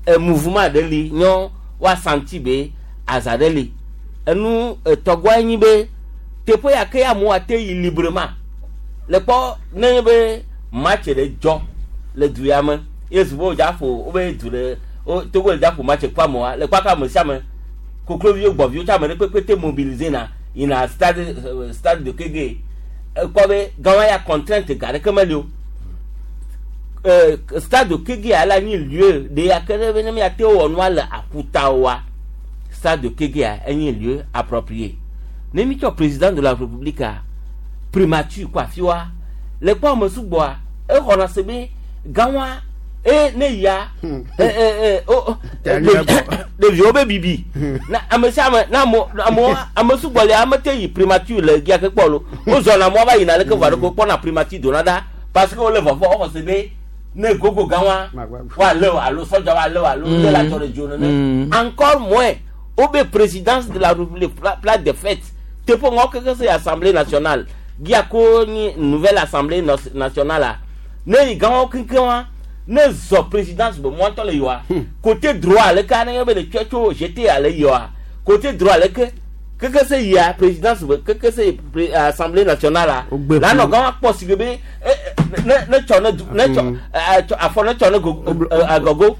e mouvement ɖe li nyɔ woasanti be azã ɖe li enu etɔgɔa nyi be teƒe ya ke amewo ate yi librement le kpɔ ne nye be match ɖe dzɔ le du ya me ye zu be wodza ƒo wobe du ɖe wo togo le dza ƒo match kpɔ amewoa le kpɔ aka ame sia ame kokloviwo gbɔviwo tsa ame ɖe kpekpe te mobiliser na yina stade euh, stade de Kege ekpɔ be gama ya contrainte ga ɖeke meli o euh, stade de Kege ya la nyi lieu de ya ke ɖe be ne miate wɔ nua le aƒuta oa stade de Kege ya enye lieu approprié ne mi tsɔ président de la république a primature kɔ afi wa le kpɔ ame sugbɔa exɔna se be gãwa e ne yia e e e o o ɖeviwo be bibi na ame sia ame na ame amewo ame sugbɔ lia ame te yi primature le gia ke kpɔ lo wozɔna mɔ va yina leke vɔ ɖe ko kpɔna primature dona ɖa parce que wole vɔvɔ woxɔ se be ne gogo gãwa woalé o alo sɔdza woalé o alo ne la tsɔ ɖe dzo nene encore moins wobe présidence de la république pla- place des fêtes teƒe ŋɔ keke se assemblée nationale gia ko nyi nouvelle assemblée nos- nationale a ne yi gãwo keŋkeŋ wa ne zɔ présidence be mɔtɔ le yiwa côté droit le ka ne ye be le tsɔ tso jeté ale yiwa côté droit le ke keke se yia présidence be keke se pré- assemblée nationale a la nɔ gã wa kpɔ si ge be eh, eh, ne ne tsɔ ne du ne tsɔ eh, tsɔ afɔ ne tsɔ ne go eh, agɔgo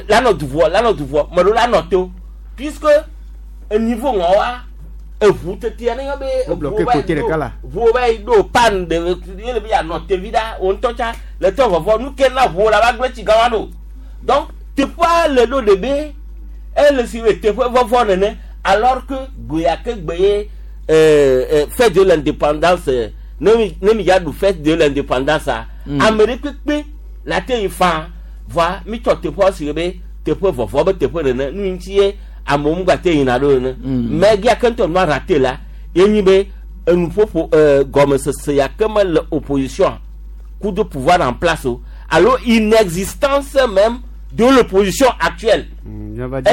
la nɔ duvoa la nɔ duvoa me ɖewo la nɔ to puisque niveau ŋɔ wa eʋu tetea ne yɔ be Wo bloqué eʋuwo va yi côté ɖo- ɖeka la. ʋuwo va yi ɖo pan de ye le be yanɔ tevi ɖa wo ŋutɔ tsa le tɔ vɔvɔ nu ke na ʋuwo la va gblẽ tsi gã wa ɖo donc teƒea le ɖo ɖe be ele si be teƒe vɔvɔ nene alors que gbe ya ke gbe ye euh, euh, fête de l'indépendance euh, ne mi ne mi dza ɖu fête de l'indépendance a Mm. ame ɖe kpekpe la te yi faa voa mi tsɔ teƒea si be teƒe vɔvɔ be teƒe nene nu yi ŋuti ye amewo ŋgba te yina ɖo nene mais gia ke ŋutɔ nua raté la ye nyi be enuƒoƒo euh, gɔmesese ya ke me le opposition coup de pouvoir en place o alo inexistence même de l'opposition actuelle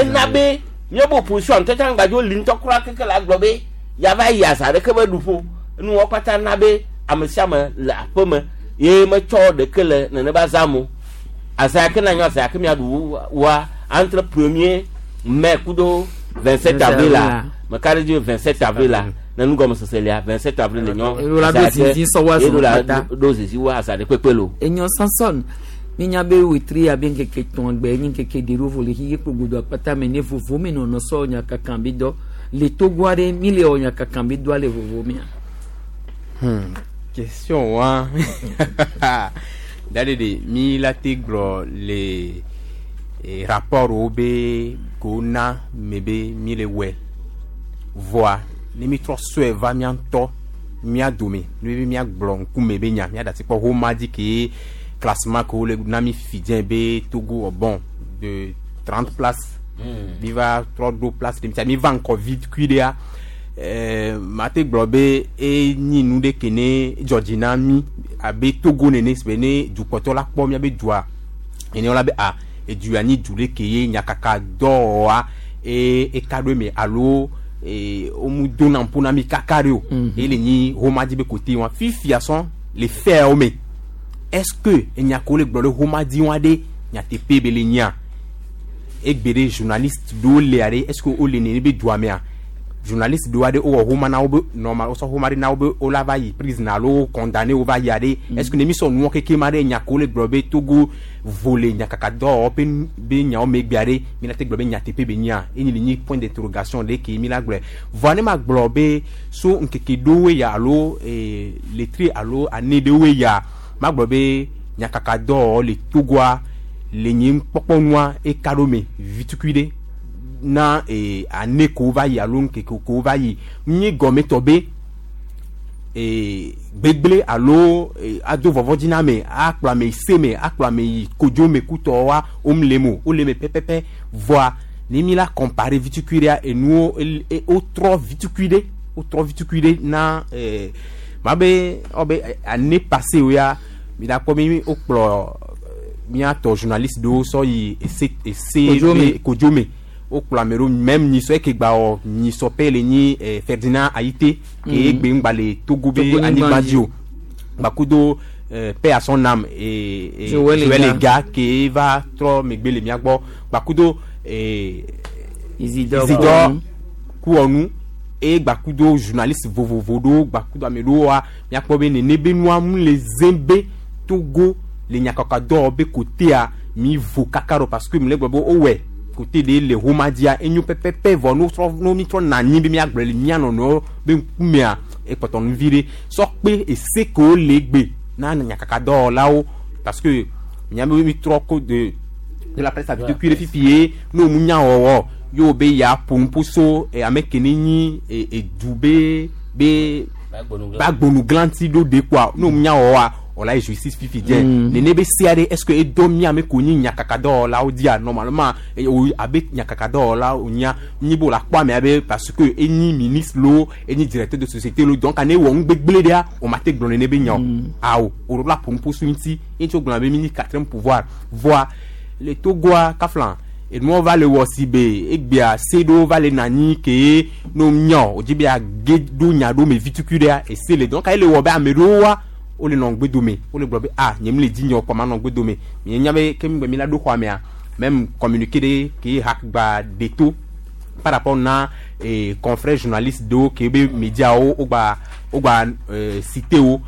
ena be míabe opposition ŋutɔ tsã gbadzo li ŋutɔ kura keke la gblɔ be yava yi azã ɖeke be ɖuƒo nuwɔ kpata na be ame sia ame le aƒe me ye metsɔ ɖeke le nene be azã mo azã ya ke na nyɔ azã ya ke miaɖu wa entre premier mai kudo vingt sept avril la meka ɖe dzi vingt sept avril la ne nugɔmesese lia vingt sept avril le nyɔ Elo la ɖo zizi sɔ wa elo la zɔ kpata. ɖo zizi wa azã ɖe kpekpe lo. Enyo Samson minya be wetri abe ŋkeke tɔn gbe nyi ŋkeke ɖe ɖo vo le xixe kpogodo akpata me ne vovo me nɔnɔ sɔ nyakaka be dɔ le togo aɖe mi le wɔ nyakaka be dɔa le vovo mea. Hmm. Question wa. Dade de mi la te gblɔ le eh, rapport wo be ko na me be mi le wɛ voa Ne mi trɔ sɔe va mía ŋutɔ mía dome ne be míagblɔ ŋkume be nya míaɖe asi kpɔ homa dzi ke classement ke wole na mi fifi dze be Togo wɔ bon de trente places Mm. mi va trɔ ɖo place ɖe mi va ŋkɔ vi kui ɖea ɛɛ mate gblɔ be enyi nu ɖe ke ne dzɔ dzi na mi abe Togo nene be ne dukpɔtɔ la kpɔ míabe dua ene la be a edu ya nyi du ɖe ke ye nyakaka dɔwɔa e eka ɖo eme alo e womu dona ŋpo na mi kaka ɖe o Mhm. ele nyi homa dzi be kote wa fifia sɔn le fɛawo me est ce que enya ko le gblɔ ɖe homa dzi wa ɖe nyateƒe be le nyia egbe ɖe journaliste ɖewo lia ɖe est ce que wole nene be dua mea journaliste ɖewo aɖe wowɔ homa na wo be normal wosɔ homa ɖe na wo be wola va yi prison alo wo condamné wo va yia ɖe est ce que ne mi sɔ nuwɔ keke ma ɖe nya ko le gblɔ be Togo vo le nyakaka dɔwɔwɔ ƒe nu- be nyawo megbea ɖe mi la te gblɔ be nyateƒe be nyia enyi le nyi point d'interrogation ɖe ke mi la gblɔe vɔa ne ma gblɔ be so ŋkeke ɖewoe ya alo ee letri alo ane ɖewoe ya ma gblɔ be nyakaka dɔwɔwɔ le Togoa le nye kpɔkpɔnua eka ɖo me vitukui ɖe na ee ane ko va yi alo ŋkeke ko va yi nyi gɔmetɔ be ee gbegble alo ee ado vɔvɔdzi na ame akplɔ ame yi se me akplɔ ame yi kodzo me kutɔ wa wom le me o wole me pɛpɛpɛ vɔa ne mi la compare vitukui ɖea enuwo el- e wotrɔ vitukui ɖe wotrɔ vitukui ɖe na ee ma be ɔ be année passée wo ya mi la kpɔ mi wokplɔ míatɔ journaliste ɖewo sɔ yi ese ese Kodzo me. be- kodzo me wokplɔ ame ɖewo même nyisɔ eke gba wɔ nyisɔ pɛ le nyi eh, Ferdinand Ayité ke Mhm. egbe ŋgba le Togo be Togo anyigba nyigba dzi o gbakudo eh, paix à son âme eh, eh, Joël Joël Ega. Ega ke va trɔ megbe le mía gbɔ gbakudo eh, Isidore Isidore Kouanou. Kouanou eye gbakudo journaliste vovovo ɖewo gbakudo ame ɖewo wa míakpɔ be nene be nua mu le zẽ be Togo le nyakaka dɔwɔ be kotea mi vo kaka ɖo parce que mi le gblɔ be wowɔe kote ɖe le homa dzia enyo pɛpɛpɛ vɔ no trɔ no mi trɔ na anyi be míagblɔ le mía nɔnɔewo be ŋkumea ekpɔtɔ nu vi ɖe sɔ kpe ese kewo le gbe na nyakaka dɔwɔlawo parce que miabe mi trɔ ko de de la presse habitude kui ɖe fifi ye ne wo mu nya wɔwɔ ye wo be ya ƒo nuƒo so eh, ame ke ne nyi eh, edu be be bagbonuglanti ɖo de kpoa ne wo mu nya wɔwɔa wòla yi justice fifi dze Mm. nene be sea ɖe est ce que edo mía ame ko nyi nyakaka dɔwɔlawo dzia normalement eh, o abe nyakaka dɔwɔlawo nyia nyi be wòle akpɔ amea be parce que enyi ministre lo enyi directeur de société lo donc ane wɔ nugbegble ɖea o ma te gblɔ nene be nya o awo o la ƒo nuƒo so ŋuti ye ŋuti wo gblɔna be mi nyi quatrième pouvoir voa le Togoa kafla enuwo va le wɔ si be egbea se ɖewo va le na anyi ke ne wo nya o dzi be age ɖo nya ɖo me vitukui ɖea ese le donc ele wɔ be ame ɖewo wa wole nɔ ŋgbe dome wole gblɔ be ah nye mi le dzi nye o kpɔ ma nɔ ŋgbe dome mi nya be ke mi gbe mi la ɖo xɔa mea même communiqué ɖe ke hak gba de to par rapport na eh, confrère journaliste ɖewo ke be médiawo wogba wogba eh, cité wo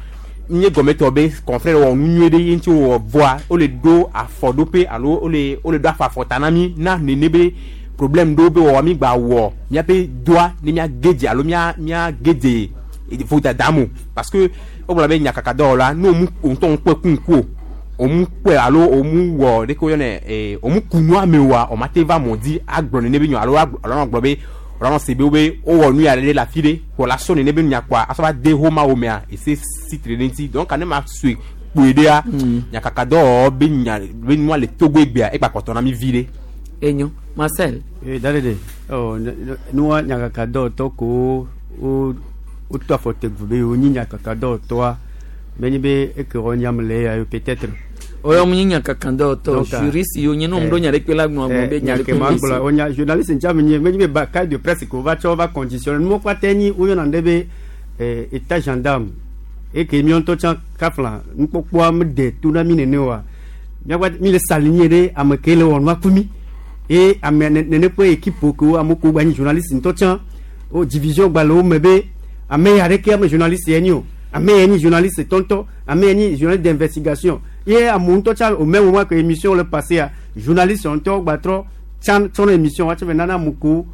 nye gɔmɛtɔ be confrère wɔ nu nyuie ɖe ye ŋuti wɔ vɔa wole ɖo afɔɖoƒe alo wole wole ɖo afɔ afɔta na mi na nene be problème ɖewo be wɔwɔ mi gba wɔ míaƒe doa ne mía gedze alo mía mía gedze vodada mo parce que wogblɔ be nyakaka dɔwɔla ne womu ŋutɔ ŋu kpɔe ku ŋku o òmu kpɔe alo òmu wɔ ɖeke woyɔnɛ ee òmu ku nua me oa o ma te va mɔ dzi agblɔ nene be nyɔ alo agblɔ alo anɔ gblɔ be alo anɔ se be wo be wowɔ nu ya ɖe le afi ɖe kɔ la sɔ nene be nya kɔa asɔ va de homa wo mea ese si tre ɖe ŋuti donc ne ma sue kpoe ɖea nyakaka dɔwɔwɔ be nya be nua le Togo egbea egba kpɔtɔ na mi vi ɖe. Enyo Marcel. ee dale de ɔ ne- ne- nua nyakaka dɔwɔtɔ ko wo woto afɔ te gu be wonyi nyakaka dɔwɔtɔa menye be eke wɔ nyam le ya peut-être. Oyo mu nyi nyakaka dɔwɔtɔ Donc, ah, juriste yo nye no mu ɖo nya ɖe kpe la gblɔ gblɔ be nya ɖe nya kpe ke ma me gblɔ si. o nya journaliste ŋtsa mi nye menye be ba cahier de presse ko va tsɔ va conditionner nuwo kpata nyi woyɔna ɖe be eh, état gendarme eke míawo ŋutɔ tsã kafla nukpɔkpɔa mede to na mi nene oa míakpa mi le saligné ɖe ame ke le wɔ nua ku mi eye ame ne- nene ƒe équipe kewo ame kewo gba nyi journaliste ŋutɔ tsã wo division gba le wo me be ame ya ɖeke ame journaliste ye nyi o ame ya nyi journaliste tɔntɔ ame ya nyi journaliste d'investigation ye amewo ŋutɔ tsã au même moment que émission le passé a journaliste ŋutɔ gba trɔ tsã tsɔ na émission wa tsɔ vɛ nana ame kewo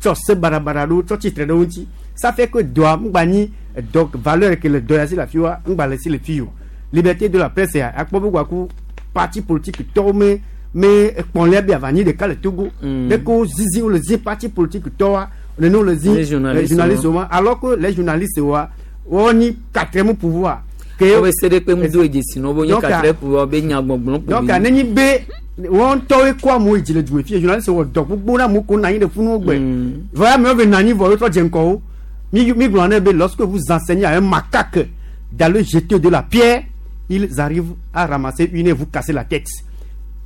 tsɔ se baɖabaɖa ɖo tsɔ tsitre ɖe wo ŋuti ça fait que dɔa ŋgba nyi dɔ valeur ke le dɔ ya si le afi wa ŋgba le si le fi o liberté de la presse ya akpɔ be gbaku parti politique tɔwo me me ekpɔlia bi ava nyi ɖeka le Togo Mm. ɖe ko zizi wo le zi parti politique tɔwoa Nene le zi Les journalistes, les journalistes wa alors que les journalistes wa woni quatrième pouvoir. Ke o se de pe mu do edesi no bo nye Donc, quatrième pouvoir be nya gbɔgblɔ donc anenyi be wɔn tɔwoe kɔ amewo yi dzi le dume fie journaliste wɔ dɔ gbogbo na amewo ko na anyi ɖe funu gbe vɔ amewo be na anyi vɔ wotrɔ dze ŋkɔwo mi mi gblɔ ne be lorsque vous enseignez à un macaque d'aller jeter de la pierre, ils arrivent à ramasser une et vous casser la tête.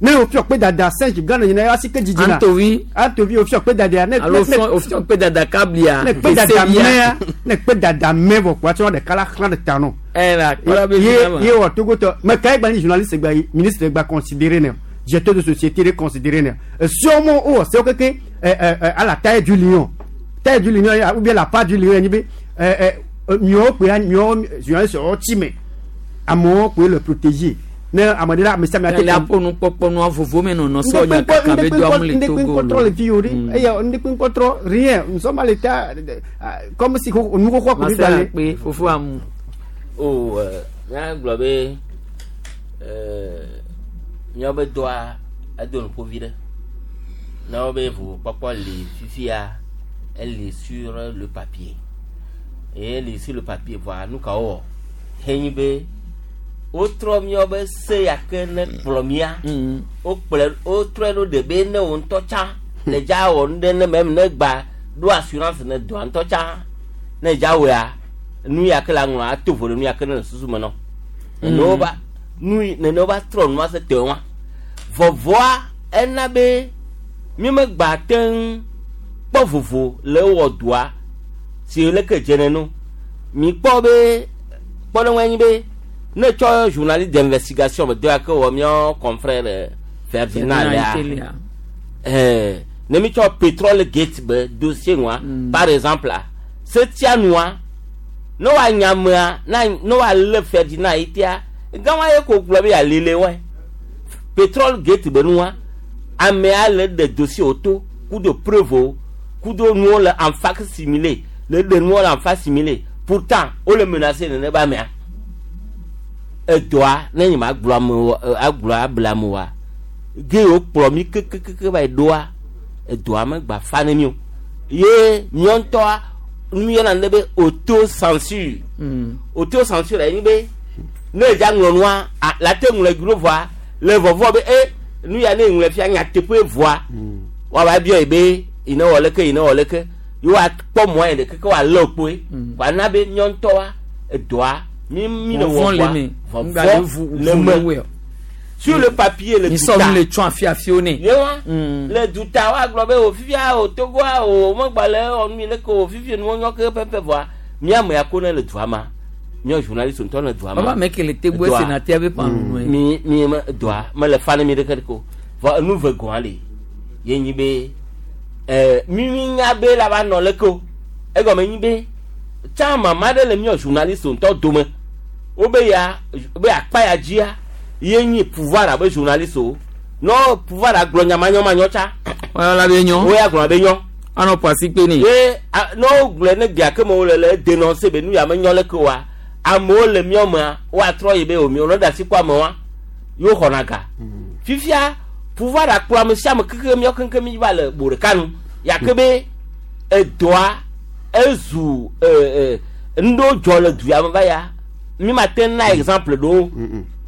Ne o fiɔ kpe dada singe gã ne asi ke dzidzi na Antovi. Antovi o fiɔ kpe dada ne Alo fiɔ o fiɔ kpe dada kablia. Ne kpe dada mɛa ne kpe dada mɛ vɔ kpa tsɔ ɖeka la xlã ɖe ta nɔ. Ɛ la kpɔla be ye ye wɔ Togo tɔ mɛ ka egba ni journaliste gba yi ministre gba considéré ne directeur de société de considéré ne sûrement o wɔ sewo keke ɛ ɛ à la taille du lion, taille du lion ou bien la part du lion nyi be ɛ ɛ miɔwo kpe miɔwo journaliste wɔ tsi mɛ amewo kpe le protéger ne ame ɖe la ame sia ame ate. Le aƒo nukpɔkpɔ nua vovo me nɔnɔ sɔ nya kaka be do amu le Togo lo. Le fi o de eya ndekpe ŋkɔtrɔ rien, nous sommes à l'état comme si nu xoxo ko bi gbalẽ. Kpe fofo amu. O mía gblɔ be míawo be dɔa edo nuƒo vi ɖe ne wo be vovokpɔkpɔ le fifia ele sur le papier eye ele sur le papier voa nu ka wowɔ henyi be wotrɔ míawo be se ya ke ne kplɔ mía wokplɔ wotrɔe ɖo ɖe be ne wo ŋutɔ tsã le dza wɔ nu ɖe ne mɛ ne gba ɖo assurance ne dɔa ŋutɔ tsã ne dza wɔa nu ya ke la ŋlɔ ato vo ɖe nu ya ke ne le susu me nɔ nene wo ba nu nene wo ba trɔ nua se te wa vɔvɔa ena be mi me gba te ŋu kpɔ vovo le wɔ dɔa si leke dze neno mi kpɔ be kpɔɖeŋu nyi be ne tsɔ journaliste d'investigation be dɔ ya ke wɔ míawo confrère Ferdinand lea ɛɛ ne mi tsɔ pétrole gate be dossier ŋua par exemple la setia nua ne wa nyamea na ne wa lé Ferdinand yi tia gãwa ye ko gblɔ be yalele wɔe pétrole gate be nua amea le ɖe dossier wo to kudo preuve wo kudo nuwo le en fac-similé le ɖe nuwo le en fac-similé pourtant wole menacé nene be amea edɔa ne nye ma gblɔ amewo agblɔ abla amewoa ge wo kplɔ mi kekekeke va yi ɖoa edɔa me gba fa ne mi o ye miɔ ŋutɔa nu yɔna ne be auto censure auto censure enyi be ne edza ŋlɔ nua la te ŋlɔ dro vɔa le vɔvɔ be e nu ya ne ŋlɔ fia nyateƒe vɔa woava biɔ yi be yi ne wɔ leke yi ne wɔ leke ye woakpɔ mɔ yi ɖeke ke woalé kpoe wòana be miɔ ŋutɔa edɔa mi mi le wɔ vɔa vɔvɔ le me sur le papier le duta mi le tsɔ afiafio ne yewa le duta wa gblɔ be o fifia o Togoa o megba le wɔ nu leke o fifia nuwo nyɔ ke pɛpɛ vɔa miame ya ko ne le dua ma miɔ journaliste ŋutɔ le dua ma baba me ke le tegbo sénateur be pan nu mi mi me dua mele fa ne mi ɖeke ɖeke o vɔ enu ve gɔa le ye nyi be ɛɛ mi mi nya be la va nɔ leke o egɔme nyi be tsã mama ɖe le miɔ journaliste ŋutɔ dome wo be ya be akpa ya dzia ye nyi pouvoir abe journaliste o no pouvoir agblɔ nyamanyɔmanyɔ tsa. Wọ́n be nyɔ. Wo ya gblɔ be nyɔ. Anɔ pasi kpe ne. Ye no gblɔ ne gbea ke me wo le le dénoncer be nu ya me nyɔ leke oa amewo le miɔ mea woatrɔ yi be o miɔ ne da asi kɔ amewoa yewo xɔna ga. Fifia pouvoir akplɔ ame sia ame keke miɔ keŋkeŋ mi va le bo ɖeka nu yake be edɔa ezu ee nuɖewo dzɔ le du ya me va ya mi ma te na exemple ɖewo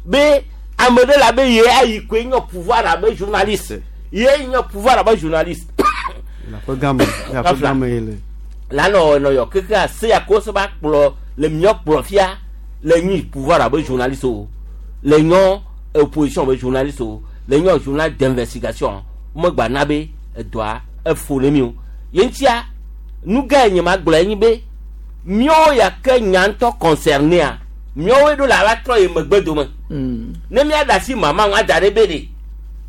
be ame ɖe la be ye ayi koe nye pouvoir abe journaliste ye nye pouvoir abe journaliste. La ƒe game la ƒe game ye le. La nɔ nɔ yɔ keke ase ya ko se ba kplɔ le miɔ kplɔ fia le nyi pouvoir abe journaliste o le nyɔ opposition abe journaliste o le nyɔ journal d'investigation megba na be edɔa efo ne mi o ye ŋutia nu gã nye ma gblɔ enyi be miɔwo ya ke nya ŋutɔ concerné a miɔwoe ɖo la va trɔ yi megbe dome ne mia da asi mama ŋu ada ɖe be ɖe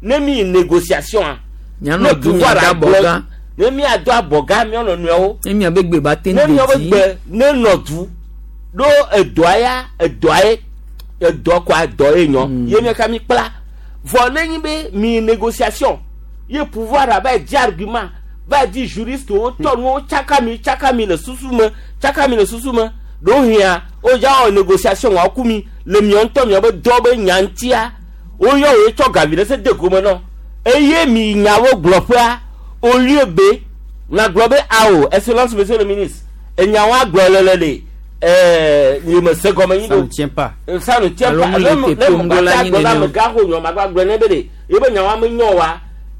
ne mi yi négociation a ne pouvoir agblɔ ne mia do abɔga miɔ nɔnɔewo ne mia be gbe ba te ne miɔ be gbe ne nɔ du ɖo edɔa ya edɔa ye edɔ kɔa dɔ ye nyɔ ye mia ka mi kpla vɔ ne nyi be mi négociation ye pouvoir ava di argument va di juriste wo tɔ nuwo tsaka mi tsaka mi le susu me tsaka mi le susu me ɖo hia wo dza wɔ négociation wa ku mi le miɔ ŋutɔ miɔ be dɔ be nya ŋutia woyɔ wo tsɔ gavi ɖe se de gome nɔ eye mi nyawo gblɔƒea au lieu be Na gblɔ be awo excellence monsieur le ministre enyawo agblɔ lele de ɛɛ nye me se gɔme nyi Ça do ne tient pas. Ça ne tient Alo pas. mu le Ne te ne tom mo do la gba nyi gblɔ na nene o. ame gã xɔ nyɔ ma gba gblɔ ne be de ebe nyawo me nyɔ wa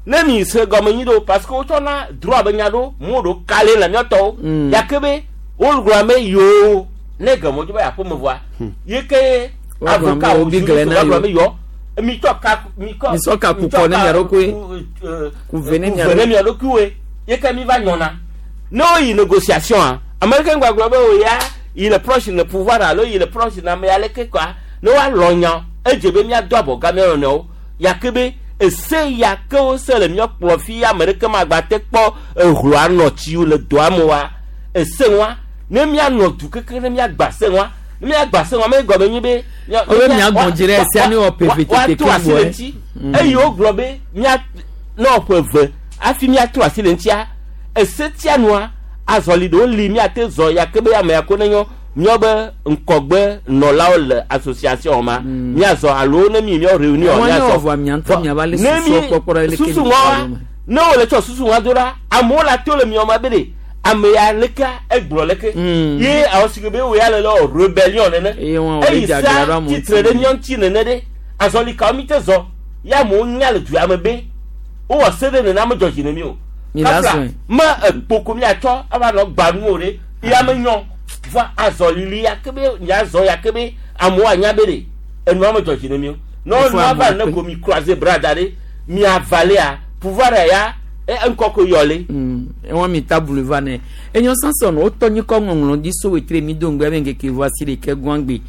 ne mi se gɔme nyi do parce que wotsɔna droit be nya ɖo mo ɖo kale le miɔtɔwo Mm. gake be wogblɔ ame yoo ne gɔme dzo be aƒe me vɔa ye ke Woagblɔ ame avocat wo bi gblẽ na wogblɔ yo. ame yɔ mi tsɔ ka mi kɔ Mi sɔ ka mi ku kɔ ne mia ɖokui. ku Ku ve ne mia ve ne ɖokui. mia ɖokuiwoe ye ke mi va nyɔna ne woyi négociation a américain gbagblɔ be o ya il est proche le pouvoir alo il est proche na ame aleke kɔa ne woalɔ nya edze be miado abɔga mia nɔnɔewo yake be ese ya ke wose le mia kplɔ fi ame ɖeke magba te kpɔ ehloa nɔ tsiwo le doa me wa ese wa ne mianɔ du keke ne miagba se wa ne miagba se wa me gɔme nyi be mia- Wo be mia- miagbɔn dzi ɖe esia ne wɔ P V T woato asi keŋ le gbɔe. ŋuti eye wogblɔ be mia ne wɔ ƒe eve hafi miato asi le ŋutia ese tia nua azɔli ɖewo li miate zɔ ya ke be ame ya ko ne nyɔ miɔ be ŋkɔgbe nɔlawo le association ma miazɔ alo ne mi miɔ réunion Wɔn ne miazɔ wɔ vɔa mia ŋutɔ miava le ne susuɔ mi kpɔkpɔ ɖe leke susu mi ŋua va le me. ne wole tsɔ susu ŋua do ɖa amewo la to le miɔ ma be de ame ya leke egblɔ leke ye awɔ si ke be wo ya le le wɔ rébellion nene Eye wɔn wòle eyi dze aglã ɖo sa amewo tsitre ŋuti. ɖe miɔ ŋuti nene ɖe azɔli kawo mi te zɔ ya amewo nya le du ya me be wowɔ se ɖe nene ame dzɔ dzi ne mi o Mi la Kafla, zɔe. me ekpoko miatsɔ ava nɔ gbanuwo ɖe ya me nyɔ va azɔlili ya ke be miazɔ ya ke be amewo anya be ɖe enua me dzɔ dzi ne mi o ne Ifo nua va amewo ne kpe. ko mi croiser bras da ɖe miavalea pouvoir ya e ŋkɔ ko yɔ le. Ewɔn mi tabulu va ne enyo sanson wotɔ nyikɔ ŋɔŋlɔ di so wetre mi do ŋgbɛ be ŋkeke vɔ asi ɖeke guangbe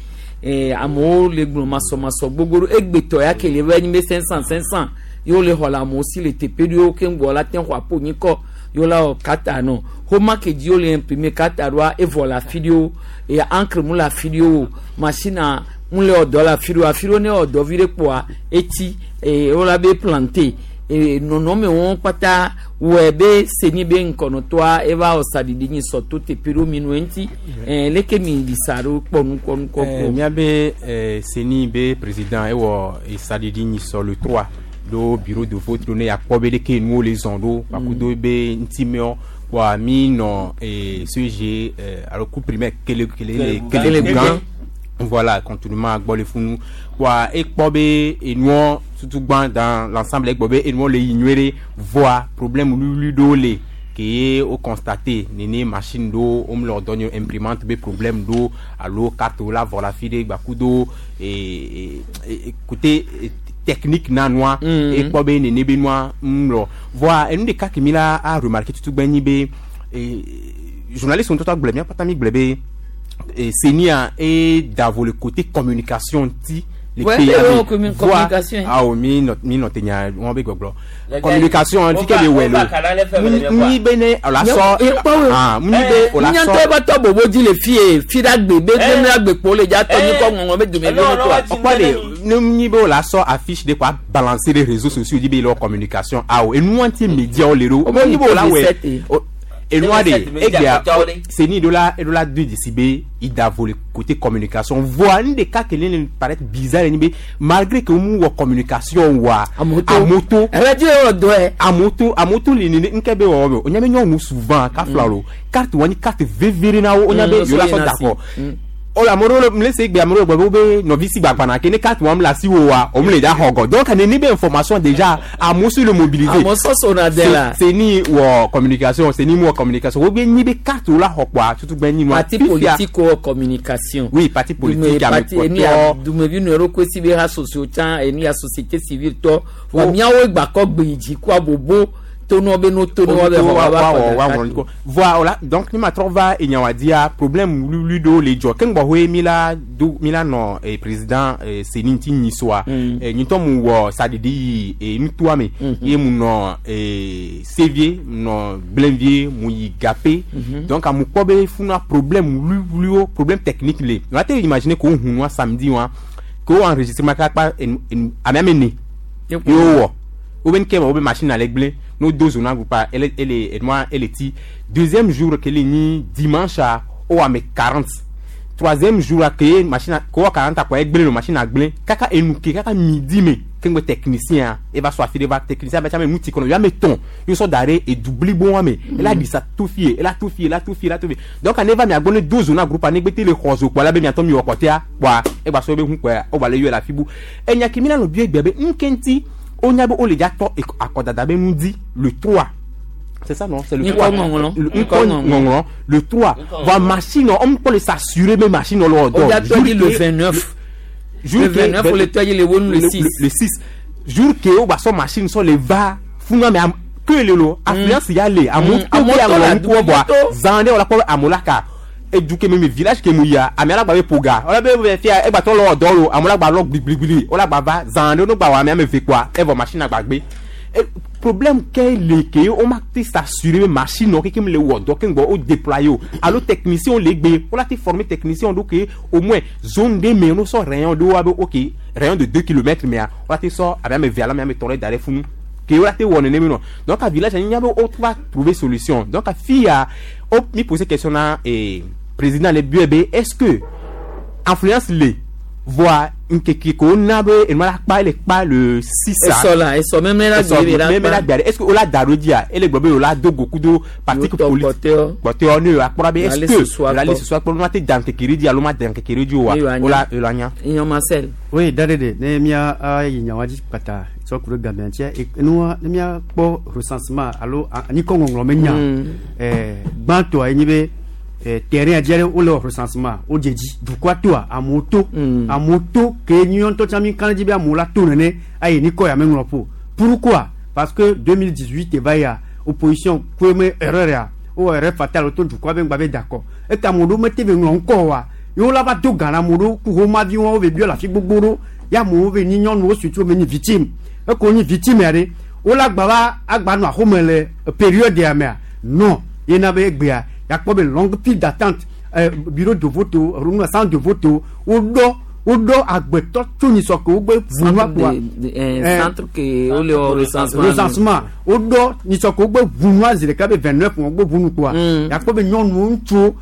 ee amewo le gblɔ masɔmasɔ gbogbo ɖo egbetɔ ya ke le va nyi be cinq cent cinq cent yewo le xɔ le amewo si le teƒe ɖewo keŋ gbɔ la te xɔ aƒo nyikɔ yewo la wɔ kata nɔ xɔma ke dzi wo le imprimer kata ɖoa evɔ le afi ɖewo eye encre mu le afi ɖewo machine mu le wɔ dɔ le afi ɖewo afi ɖewo ne wɔ dɔ vi ɖe kpoa etsi ee wo la be planter ee nɔnɔme wɔn kpata wɔe be seni be ŋkɔnɔtɔa eva wɔ saɖiɖi nyi sɔ to teƒe ɖewo mi nu eŋuti ɛɛ leke mi ɖi sa ɖo kpɔ nukɔ nukɔ Eh, kpɔ. miabe eh, seni be président ewɔ esaɖiɖi nyi sɔ le trois ɖo bureau de vote ɖo ne yakpɔ be ɖeke nuwo le zɔn ɖo kpakudo be ŋutimewo kpoa mi nɔ eh, C E G eh, alo cours primaire kele kele le kelebugan voilà contournement gbɔ le funu kpoa ekpɔ be enuɔ tutugbã dans l'ensemble egbɔ be enuɔ le yi nyuie ɖe voa problème wluwlui ɖewo le ke ye wo constaté nene machine ɖewo wo mle dɔ nye imprimante be problème ɖo alo carte wo la vɔ le afi ɖe gbakudo e e côté eh, technique na nua Mm. ekpɔ be nene be nua ŋlɔ voa enu ɖeka ke mi la a remarqué tutugbã nyi be eh, journaliste ŋutɔ gblɔ mía kpata mi gblɔ be eh, CENI-a e davo le côté communication ŋuti le Ouais, pays eh, ame. ouais, commu- Voa, communication. awo mi nɔ mi nɔ te nya wɔn be gbɔgblɔ Le communication gars, fi ke be on va- wɛ on va kana le fɛn lo fɛn le nyi be ne o la sɔ ah nyi be o la Nyantɔ sɔ eba tɔ bobo dzi le fie fi ɖe agbe be ne agbe kpo le dza tɔ nyikɔ ŋɔŋlɔ be dumevi wo toa. ɔkpɔ de ne nyi be o la sɔ affiche de quoi balancer les réseaux sociaux di be lɔ communication awo enua ŋuti médiawo le ɖo O nyi be o la wɛ T V sept. o- enua de T V sept egbea média CENI ɖo la eɖo la do dzesi be idavo le côté communication voa nu ɖeka ke ne le paraître bizarre nyi be malgré que mu wɔ communication wa Amoto. amoto Ɛfɛ dzi wɔ dɔ yɛ. amoto amoto le nene nke be wɔwɔ me o nya be nyɔnu souvent kafla lo carte wa nyi carte vevere na wo o nya be Mm, yewo la so sɔ yina d'accord si. Mm. o la ameɖewo le mle se egbe ameɖewo gblɔ be wobe nɔvi si gbagbana ke ne carte wa mu le asi wo wa o mu le dza xɔ gɔ donc nene be information déjà amewo si le mobiliser Amewo sɔsɔ na de la. CENI wɔ communication CENI mu wɔ communication wo be nyi be carte wo la xɔ kpoa tutugbe nyi nua Parti politique wɔ communication. Oui, parti politique Dume parti enu ya dumevi nu ɖokui si be ha sociaux tsã enu ya société civile tɔ. Wa miawo gbakɔ gbe yi dzi kó abobo tonɔ be no tonɔ wa be xɔ wa va xɔ ɖeka. Voilà, donc ni ma trɔ va enyawadia problème wluwlui ɖewo le dzɔ keŋ gbɔxɔe mi la do mi la nɔ eh, président eh, CENI ŋuti nyi soa eh, nyitɔ mu wɔ saɖiɖi yi eh, nutoa me ye mu nɔ eh, Sévier mu nɔ Blenvier mu yi Gapé donc amu kpɔ be funa problème wluwluiwo problème technique le wa te imaginer ko hu nua samedi wa ko enregistrement kaka amea me ne ye wowɔ wobe nke ma wobe machine ale gblẽ no do zona groupe ele ele enua ele ti deuxième jour ke le nyi dimanche a wo ame quarante Troisième jour la ke machine ko wa quarante quoi egblé le machine a gblé kaka enuke kaka midi me kengbe technicien e va so afide va technicien ba chame muti kono ya meton yo so dare e doubli bon me elle a dit ça tout fier elle a tout fier elle a tout fier elle a tout fier. Donc on va mi agbone douze na groupe ane gbete le khozo quoi la be mi atom mi okote a quoi e ba so be hun quoi o ba le yo la fibu e nya kimi na lo bi egbe be nkenti o nya be o le ja to akodada be nu di le trois. C'est ça, non? C'est le trois. Le, le trois. Va machine, on peut s'assurer, mais machine, on l'a On a dit le vingt-neuf. Le vingt-neuf, on l'a dit le six. Le six. Jour que on va son machine, sur les va, funa, mais que le lot, affluence y aller, à mon tout, zandé, on l'a pas à Molaka. Et du même village que mouya, à Mela Babe Poga, on a bien fait, et bateau l'or, à Mola Balok, bli, on a bava, zandé, on a même fait quoi, et vos machines à bagbe. Problème qu'est le que on m'a s'assurer machine non qui me le word donc on déployer allo technicien les b on a été formé technicien donc au moins zone des mais nous sont rayon de OK rayon de deux kilomètres mais on a été sort avec mes vers là mais tourner d'aller fou que on a été won non donc à village il y a autre va trouver solution. Donc à fille a mi poser question là et président les B est-ce que influence les voit nkeke ko na be eno la pa le pa le six eso la eso même la même la est-ce que ola darodia ele gbobe ola dogo kudo parti politique porteur ne akpora be est-ce que la liste soit pour nous te dan kekere di aloma dan kekere di wa ola elanya Ignon Marcel. Oui dadede ne mia ayi nyawaji kata so kuro gambiantia e nu ne mia po recensement alo ani ko ngonglo menya eh gbanto ayi be terrain a diare ou le recensement au jeji du quoi toi à moto à moto que nyon to chami kan di be amola to nene ayi ni ko ya menlo po. Pourquoi? Parce que deux mille dix-huit e va ya opposition comme erreur ya ou erreur fatale to du quoi ben ba d'accord e ka modo mete be nlon ko wa yo la ba do gana modo ku ho ma vi won be bi la fi gbogboro ya mo be ni nyon no surtout be ni victime e ko ni victime are o la gba ba agba no ahomele période ya me non yena be gbea y a pas de longue file d'attente euh, bureau de vote au centre de vote au do au do agbeto tuni soko ogbe vunwa kwa centre que au le recensement recensement au do ni soko ogbe vunwa zireka be vingt-neuf on ogbe vunu kwa y a pas de nyonu ntu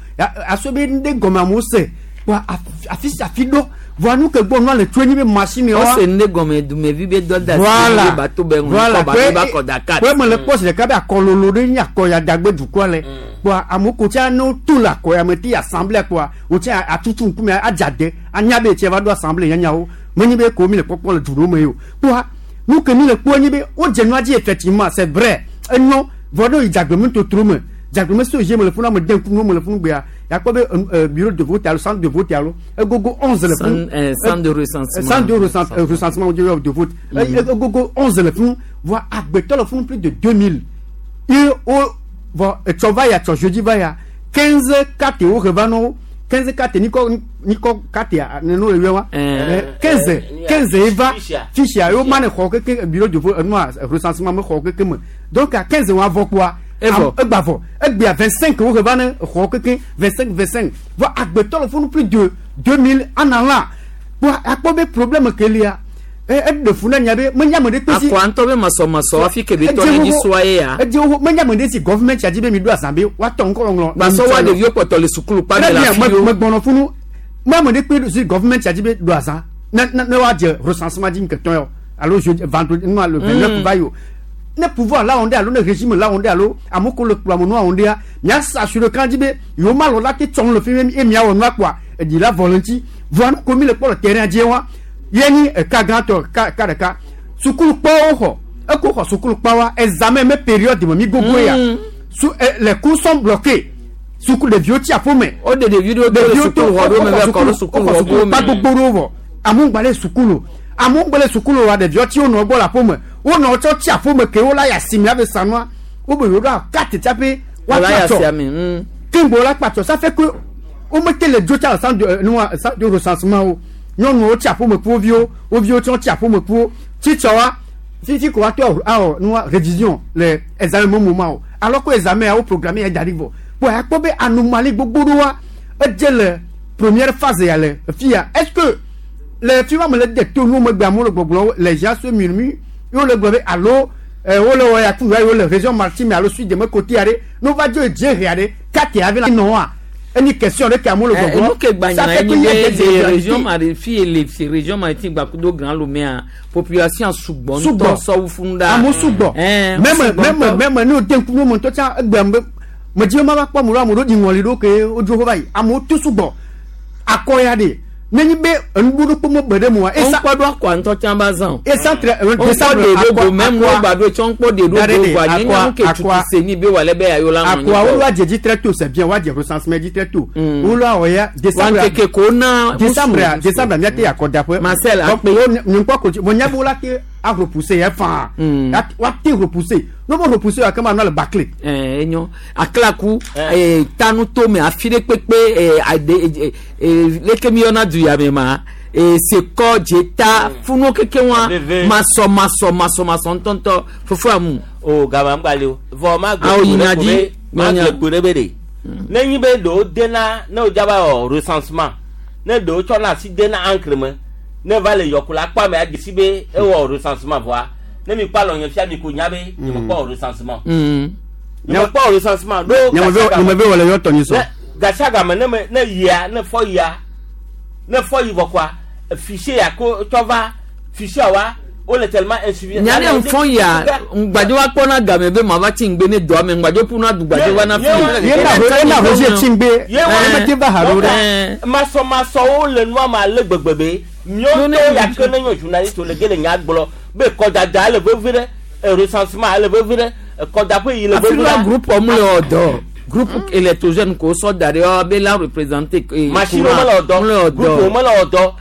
aso be nde goma mo se kwa afisi afido voilà que bon le tweni be machine wa c'est nde gome du me vi be do da voilà bato be voilà ba ba ko Dakar ouais me le poste de kabe akololo de nya ko ya dagbe du quoi le quoi amoko tia no tout la ko ya meti assemblée quoi o tia atutu nkume ajade anya be tia va do assemblée nya o meni be ko mi le popo le duro me yo quoi nous que ni le ko ni be o je dit effectivement c'est vrai et non vodo idagbe me to tro me dagbe so je me le funa me den ku me le funu gbe ya quoi bureau de vote alo centre de vote alo gogo onze le funu centre de recensement centre de recensement de vote gogo onze le funu voit agbeto le funu plus de deux mille et o va tu va ya tu jeudi va ya quinze quatre au revano quinze quatre niko niko quatre no le wa quinze quinze eva fiche yo man xo ke bureau de vote no recensement me xo ke me donc à quinze on va quoi Evo. Egbavo. Egbia vingt-cinq au revane xo ke vingt-cinq vingt-cinq va agbeto le funu plus de deux mille en allant pour akpo problème que lia e de funa nya be menya me de pesi akwa nto be maso maso afi ke be to ni soye ya e di o menya me de si government ya di be mi do asambe wa to nko nglo baso wa de vio poto le sukulu pa de la fi me gbono funu ma me de pe si government ya di be do asan na na wa je recensement di nketon yo allo je vendredi no le vingt-neuf va yo ne pouvoir là on est allo ne régime là on est allo amoko le plan no on est nya s'assurer quand di be yo ma lo la te ton le fi e mi awon na quoi e di la volonté voir comme le pour le terrain di wa yeni ka grand ka ka ka sukulu pa oho e ko ho sukulu pa wa examen me période mi gogo ya sous les cours sont bloqués sukulu de vieux tia fome o de de vidéo de sukulu ho do me ko sukulu ho do pa gbogbo ro amungbale sukulu amungbale sukulu wa de vieux ti ono gbo la fome o no cho tia fome ke o la ya simi ave sanwa o be yo do carte tia pe wa la ya siami kimbo la pato ça fait que o mette les deux tia centre de nous centre de recensement o nyɔnu wo tsi aƒome ku wo viwo wo viwo tsɔ tsi aƒome ku wo tsitsɔ wa fifi ko wa tɔ awɔ nua révision le examen mo mo o alors que examen wo programme ya da ɖi vɔ bon akpɔ be anomalie gbogbo ɖo wa edze le première phase ya le fia est-ce que le fi wa me le de to nu megbe amewo le gbɔgblɔ les gens se murmurent ye wo le gblɔ be alo wo le wɔ ya tu ya wo le région maritime alo sud de me côté ya ɖe no va dzo dze hea ɖe kate ya vi la nɔ wa Enyi question ɖe ke amewo le gbɔgblɔ. Nu ke gba nya ye nye be le région mari fi le fi région maritime gbakudo Grand Lomé population sugbɔ ŋutɔ sɔwu funu ɖa. Amewo sugbɔ. Mɛmɛ mɛmɛ mɛmɛ ne o den kunu me ŋutɔ tsã egbe me me dzi ma va kpɔ amewo amewo ɖo ɖi ŋɔli ɖo ke wodzo va yi amewo to sugbɔ akɔ ya de nenyi be enuɖoɖo kpɔ me be ɖe mo wa. Esa kpɔ ɖo akɔ ŋutɔ tsã ba zã o. Esa tre décembre akɔ akɔ mɛmu wo gba ɖo tsɔ ŋkpɔ de ɖo do gba nye nyɔnu ke tutu se ni be wòle be ayo la nɔ nyi. Akɔa wolo adze dzi très tôt c'est bien woadze recensement dzi très tôt. Wolo awɔ ya décembre. Wa nkeke ko na. Décembre décembre miate akɔdaƒe. Marcel akpe. Donc wo ŋkpɔ ko mo nya be wola te a repousser yɛ faa. Wa te repousser n'o ma repousser wa kama nɔ le bâclé. Ɛɛ enyo akilaku ee tanu tome afi ɖe kpekpe ee ade ee leke mi yɔna du ya me ma ee sekɔ dzeta funu keke wa masɔ masɔ masɔ masɔ ŋutɔŋutɔ fofo amu. O gama ŋgba le o vɔ ma gbe awo yina dzi ma gbe kpo ɖe be de ne nyi be ɖewo dena ne wo dzaba wɔ recensement ne ɖewo tsɔna asi dena encre me ne va le yɔkula kpɔ ame adzesi be ewɔ recensement vɔa ne mi kpɔ alɔ nye fia mi ko nya be nye me kpɔ recensement. Nye me kpɔ recensement ɖo nye me be wɔ le yɔ tɔnyi sɔ. Gasiagame ne me ne yia ne fɔ yia ne fɔ yi vɔ kɔa fichier ya ko tsɔ va fichier wa wole tellement insuffisant. Nya ne nfɔn ya ŋgbadze wa kpɔna game be ma va tsi ŋgbe ne dɔa me ŋgbadze ƒuna du gbadze va na fi. Ye na ye na roger tsi ŋgbe ye me te va ha ɖo ɖe. Masɔmasɔwo le nua ma le gbegbe be miɔtɔ ya ke ne nye journaliste le ge le nya gblɔ be kɔdada le vevi ɖe recensement le vevi ɖe kɔdaƒe yi le vevi ɖe. Afi la groupe ɔmu le ɔdɔ. Groupe électrogène ko sɔ da ɖe wa be la représenter. Machine wo mele ɔdɔ groupe wo mele ɔdɔ.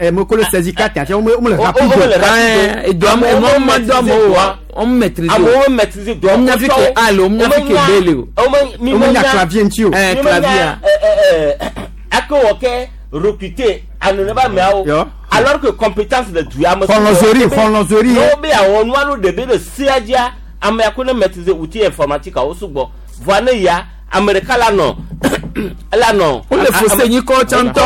Ame ko le saisi carte ati wo mele rapide. Wo mele rapide. Edɔ ame wo ma dɔ amewo wa wo maîtriser. Amewo maîtriser dɔ. Wo nya fi ke A le wo nya fi ke B le o. Wo nya clavier ŋuti o. Ɛɛ clavier. Ake wɔ kɛ recruter anoneba meawo. Alors que compétence le du ame. Xɔlɔzori xɔlɔzori. Wo be awɔ nua lo ɖe be le sea dzia. Ame ya ko ne maîtriser outil informatique awo sugbɔ voa ne ya ame ɖeka la nɔ la nɔ. O le fose nyikɔ tsãtɔ.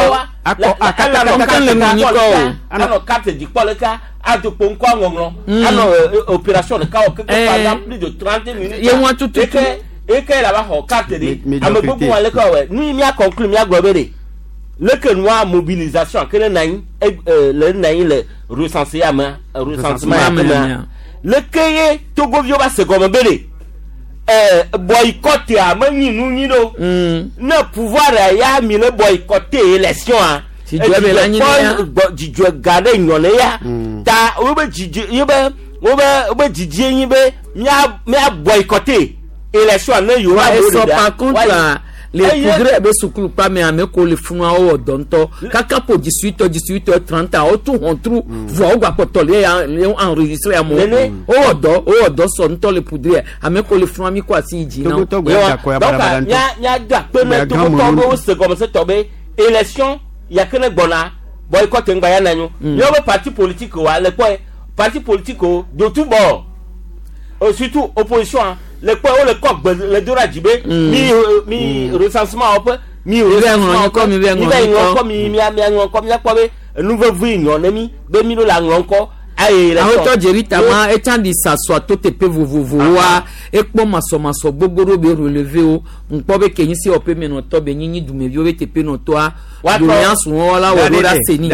Akɔ akata akata le nyikɔ o. Anɔ carte dzikpɔ ɖeka adokpo ŋkɔ ŋɔŋlɔ anɔ opération ɖeka wɔ keke pendant plus de trente minutes. Ye ŋua tututu. Eke eke la va xɔ carte de ame gbogbo wa leke wɔwɛ nu yi mía conclure mía gblɔ be de leke nua mobilisation ke ne na anyi le na anyi le recenser ame recensement ame. Leke ye togoviwo va se gɔme be de ɛɛ boycott a menyi nu nyi ɖo ne pouvoir ya mi le boycotter élection a dzidzɔ be la nyi ne dzidzɔ ga ɖe nyɔ ne ya ta wo be dzidzɔ ye be wo be wo be dzidzie nyi be mía mía boycotter élection ne yewo abo ɖe par contre la les progrès be sukulu kpa me ame ko le funua wo dɔ ŋutɔ kaka po dix-huit heures dix-huit heures trente wo tu hɔntru vɔ wo gba kpɔtɔ le ya le enregistré amewo wo wɔ dɔ wo wɔ dɔ sɔ ŋutɔ le poudre ame ko le funua mi ko asi yi dzi na wo. Donc mía mía do akpe ne togotɔwo be wo se gɔmesetɔ be élection ya ke ne gbɔna boycott ŋgba ya na nyo míawo be parti politique wa le kpɔe parti politique wo de tout bord surtout opposition le kpɔ wo le kɔ gbe le do ɖe dzi be mi mi recensement wɔƒe mi recensement wɔƒe mi bɛ ŋlɔ ŋkɔ mi mia mia ŋlɔ ŋkɔ mia kpɔ be enu vevi nyɔ ne mi be mi ɖo la ŋlɔ ŋkɔ aye le sɔ. Awotɔ Jerry Tama etsa di sasɔ to teƒe vovovowoa ekpɔ masɔmasɔ gbogbo ɖewo be relevé wo ŋkpɔ be kenyi si wɔƒe menɔtɔ be nyinyi dumeviwo be teƒe nɔtɔa doléance wɔla wɔ ɖo ɖa seni.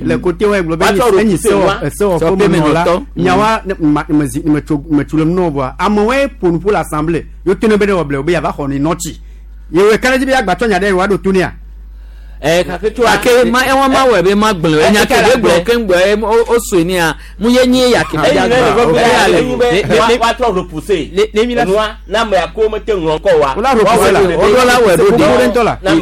Le côté wa gblɔ be enyi sewɔ sewɔƒe menɔla nyawa metso le nɔ vɔa amewoe ƒo nu ƒo le assemblée yewo to ne be ne wɔ ble wo be yava xɔ ne nɔtsi yewoe ka ɖe dzi be agbatsɔ nya ɖe yewoa ɖo to nea. Eh kake tso kake ma ewa ma wɔ be ma gblẽ enya ke be gblɔ keŋ gbɔ o sue nia mu ye nyi ya ke be ya gblɔ ya le wa trɔ repousser nua na ame ya ko mete ŋlɔ ŋkɔ wa o la repousser la o la wɔ ɖo de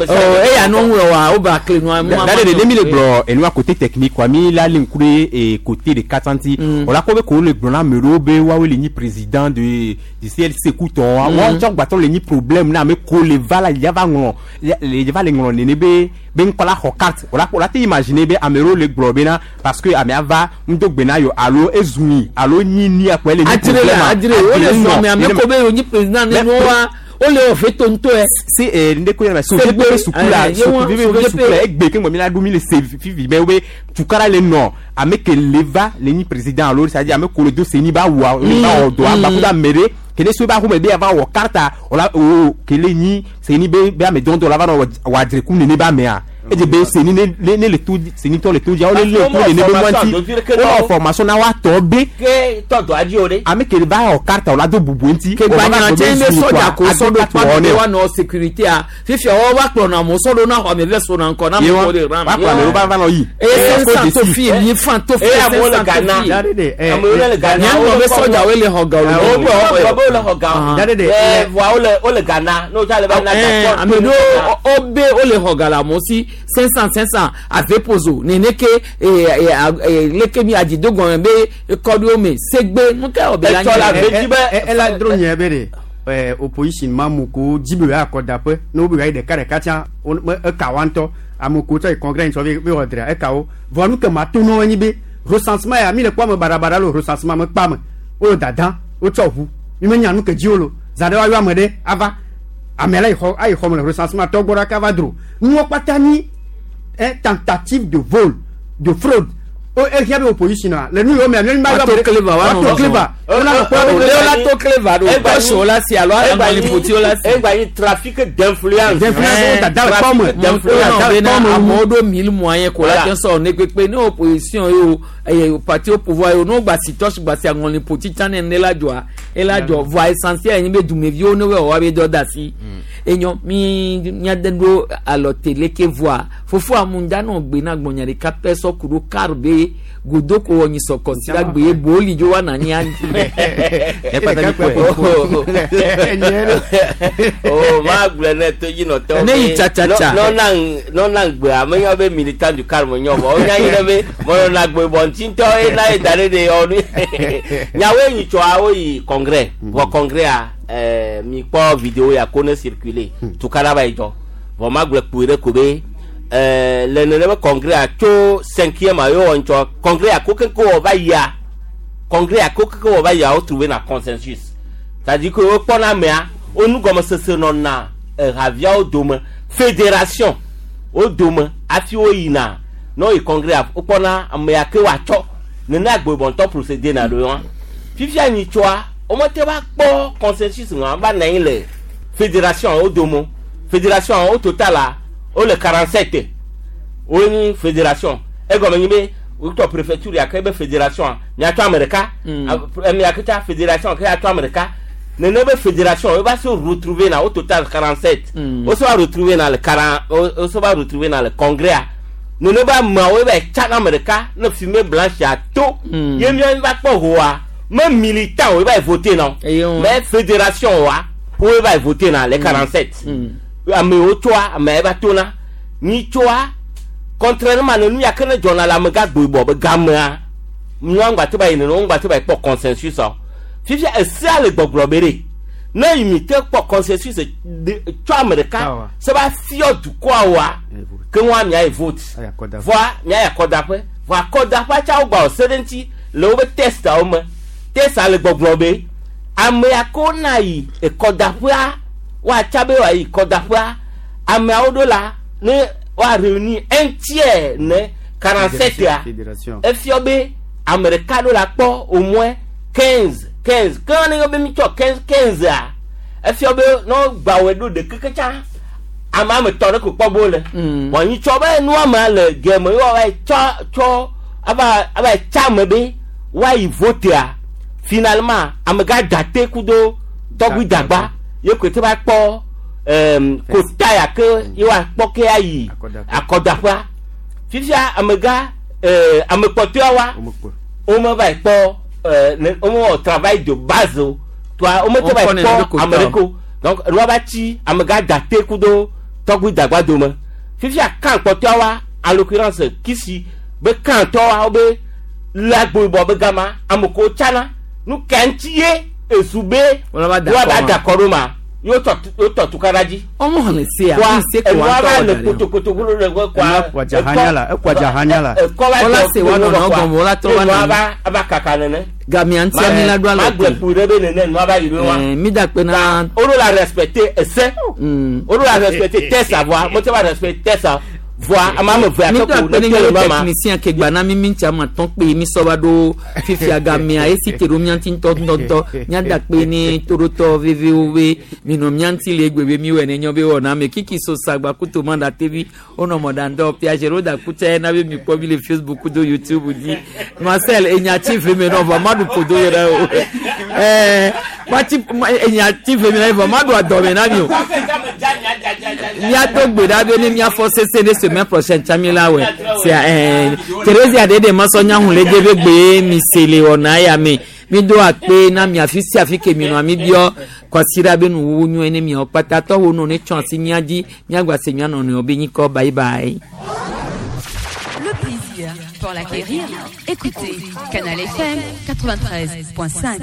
ɔ eya nu ŋlɔ wa o ba kle nua mu ma de mi le gblɔ enua côté technique quoi mi la le ŋku ɖe e côté de katanti o la ko be ko le gblɔ na ame ɖewo be woawoe le nyi président de du C L C kutɔ wa tsɔ gbatɔ le nyi problème na ame ko le va la ya va ŋlɔ le va le ŋlɔ nene be be ŋkɔ la xɔ carte o la o la te imaginer be ame ɖewo le gblɔ bena parce que amea va ŋdo gbe na yo alo ezumi alo nyi ni akpɔ ele nyi problème adire o le sɔmi ame ko be yo nyi président ne nua o le wɔ veto ŋutɔ se eh, nde ko yɛrɛ sojepe be suku la sukuvi be suku la egbe ke ŋgɔ mi la ɖu mi le se fifi mɛ wo be tukara le nɔ ame ke le va le nyi président alo c'est à dire ame ko le do seni ba wɔ le ba wɔ dɔ agbakudo ame ɖe kele so ba xɔme be ava wɔ karta wòla o kele nyi seni be be ame dɔndɔ la va nɔ wɔ adreku nene be amea edze be seni ne ne ne le to seni tɔ le to dzia wole le ku nene be mɔnti wole formation na wa tɔ be ke tɔ dɔ adzi o de. ame ke va wɔ karta wòla do bubu ŋuti ke gbanya tse ne sɔdza ko sɔdo kpa be wa nɔ sécurité a fifia wɔ va kplɔ na amewo sɔdo na xɔ ame vɛ so na ŋkɔ na amewo de ram. wa kplɔ amewo va va nɔ yi. eye cinq cent to fi mi fan to fi Eye amewo cinq le cent to Ghana. fi. Amewo le Ghana. Nyɛ be sɔdzawoe le xɔ ga o. Wo gbɔ be wole xɔ ga o. Ɛ voa wole wole Ghana n'o tsa le va na Ɛɛ ame ɖewo wo be wole xɔ ga le amewo si cinq cent cinq cent ave pozo nene ke ee ee leke mi adzido gɔme be kɔɖiwo me segbe nu ka wɔ be la Etsɔ la nye. ela dro nye be de ɛ opposition ma mu ko dzi be wòya akɔdaƒe ne wo be wòya yi ɖeka ɖeka tsã wo me eka wa ŋutɔ ame ko tsɔ yi congrès ŋutɔ be be wɔ drea eka wo vɔ nu ke ma to na wo nyi be recensement ya mi le kpɔ ame baɖabaɖa le recensement me kpa me wo le dada wotsɔ ʋu mi me nya nu ke dzi wo lo zã ɖe woayɔ ame ɖe ava ame la yi xɔ ayi xɔ me le recensement tɔ gbɔ ɖaka va dro nuwo kpata nyi un tentative de vol de fraude o ehia be opposition a le nu yiwo mea mi ma Wato clever wa nɔ wato clever wona nɔ kpɔ be Leo la to clever do tɔsiwo la si alo aŋɔliƒotiwo la si. Egba nyi trafic d'influence. D'influence, wo dada le kpɔ me. Trafic Wo d'influence. bena amewo ɖo mille moyen ko la te sɔ ne kpekpe ne opposition ye o eye parti au pouvoir ye o n'o gba si tɔsi gba si aŋɔliƒoti tsã ne ne la dzɔa ela dzɔ voa essentiel ye nye be dumeviwo ne wɔ wa be dɔ da si enyɔ mi miade ɖo alɔ tele ke voa fofo amu da nɔ gbe na gbɔnya ɖeka pɛ sɔ ku ɖo kar be godo ko wɔ nyisɔ kɔsi la gbe ye boli dzo wa na nyi anyi. o ma gblɔ ne to dzi nɔtɔwo Ne yi tsatsa. nɔna gbea menyɔ be militant du calme nyɔ vɔ wonya yi ɖe be mɔnɔna gbe bɔ ŋutitɔ ye na ye da ɖe de yɔ nu nyawoe yi tsɔa woyi congrès vɔ congrès a ɛɛ mi kpɔ vidéo ya ko ne circuler tukara va yi dzɔ vɔ ma gblɔ kpui ɖe ko be ɛɛ le nene be congrès a tso cinquième a ye wɔ ŋtsɔ congrès a ko keŋkeŋ wɔ va yia congrès a ko keŋkeŋ wɔ va yia wo trouver na consensus c'est-à-dire que wokpɔna amea wo nugɔmesese nɔna ehaviawo dome fédération wo dome hafi woyina ne woyi congrès a wokpɔna amea ke woatsɔ nene agbebɔntɔ procédé na ɖo wa fifia nyitsɔa womete va kpɔ consensus ŋua va nɔ anyi le fédération wo dome fédération au total la wole quarante sept wonyi fédération egɔme nyi be wotɔ préfecture ya ke be fédération a miatsɔ ame ɖeka ame ke tsa fédération ke atsɔ ame ɖeka nene be fédération wo va se retrouver na au total quarante sept wo se va retrouver na le quarante wo se va retrouver na le congrès a nene be ameawo va tsa na ame ɖeka ne fumée blanche a to ye mia va kpɔ hoa me militant wo va voter na mais fédération wa wo va voter na les quarante sept amewo tsoa ame va tona nyitsoa contrairement ne nu ya ke ne dzɔna le amegã gboyibɔ be gamea nua ŋgba te ba yi nene wo ŋgba te ba yi kpɔ consensus o fifia esea le gbɔgblɔ be ɖe ne yi mi te kpɔ consensus de tsɔ ame ɖeka se va fiɔ dukɔa woa ke ŋua mia yi vote voa mia yi akɔdaƒe voa akɔdaƒea tsa wo gba wɔ se ɖe ŋuti le wobe testawo me testa le gbɔgblɔ be amea ko na yi ekɔdaƒea woatsa be wòayi kɔdaƒea ameawo ɖo la ne woa réunir un tiers ne quarante sept ya efiɔ be ame ɖeka ɖo la kpɔ au moins quinze quinze ke ne yɔ be mi tsɔ quinze quinze a efiɔ be ne wogba wɔe ɖo ɖeke tsa ame ame tɔ ɖe ko kpɔ bo le bɔn nyi tsɔ be nua me le gɛme ye woava yi tsɔ tsɔ ava ava yi tsa ame be woayi votea finalement amegã date kudo tɔgbi dagba ye koe te va kpɔ ɛɛm kota ya ke ye woakpɔ ke ayi akɔdaƒea fifia amegã ɛɛ ame kpɔtɔea wa wome va yi kpɔ ɛɛ ne wome wɔ travail de base o toa wome te va yi kpɔ ame ɖeke o donc nua va tsi amegã date kudo tɔgbi dagba dome fifia kan kpɔtɔea wa en l'occurrence kisi be kan tɔwa wo be le agboyibɔ be gama ame ko tsana nu ka ŋuti ye esu be woava da kɔ ɖo ma yóò tɔ yóò tɔ tukara dzi. Ɔmɔ hàn se a Wa mi se ko enua wa va tɔ le da ɖe. kotokoto wolo le kɔ Enua kwadza hanya la, ekwadza hanya la. Ekɔ va Wala jɔ se wa kpo nɔnɔ kɔa, gɔmɔ, wala trɔ va enua nɔ. va ava kaka nene. Gamia ŋutia mi la ɖo Ma alɔ gblẽ kpu ɖe be nene nua va yi ɖo wa. Ɛɛ mi da kpe na. Olu la respecter ese. Olu la respecter tɛsa voa mo tɛ va respecter tɛsa voa ama ame ve mi ake do ko akpe ne ne te le míawo nua ma. technicien ke gba na mi mi ŋutia ma tɔn kpe mi sɔ va ɖo fifia gamea esi te ɖo mía ŋuti ŋutɔŋutɔŋutɔ míada kpe ne toɖotɔ vevewo be minɔ mía ŋuti le egbe be mi wɔ ne nyɔ be wɔna me kiki so sagba kuto ma da tevi wonɔ mɔɖaŋdɔ piagero da kutsa yɛ na be mi kpɔ mi le Facebook do YouTube dzi Marcel enyatsi ve me nɔ vɔ ma ɖu ƒodo yɛ ɖe o ɛɛ matsi enyatsi ve me na vɔ ma ɖu adɔme na mi o míado gbe ɖa be ne míafɔ sese ne semaine prochaine tsa mi la wɛ sia ɛɛ Theresa de de masɔ nyahu le de be gbe mi se le wɔna ya me mi do akpe na mi afi sia afi ke mi nɔ mi biɔ kwasiɖa be nuwuwu nyuie ne miawo kpata tɔwo nɔ ne tsɔ asi mía dzi míagba se mía nɔnɔewo be nyikɔ bye bye. Le plaisir pour l'acquérir, écoutez Canal F M quatre-vingt-treize point cinq.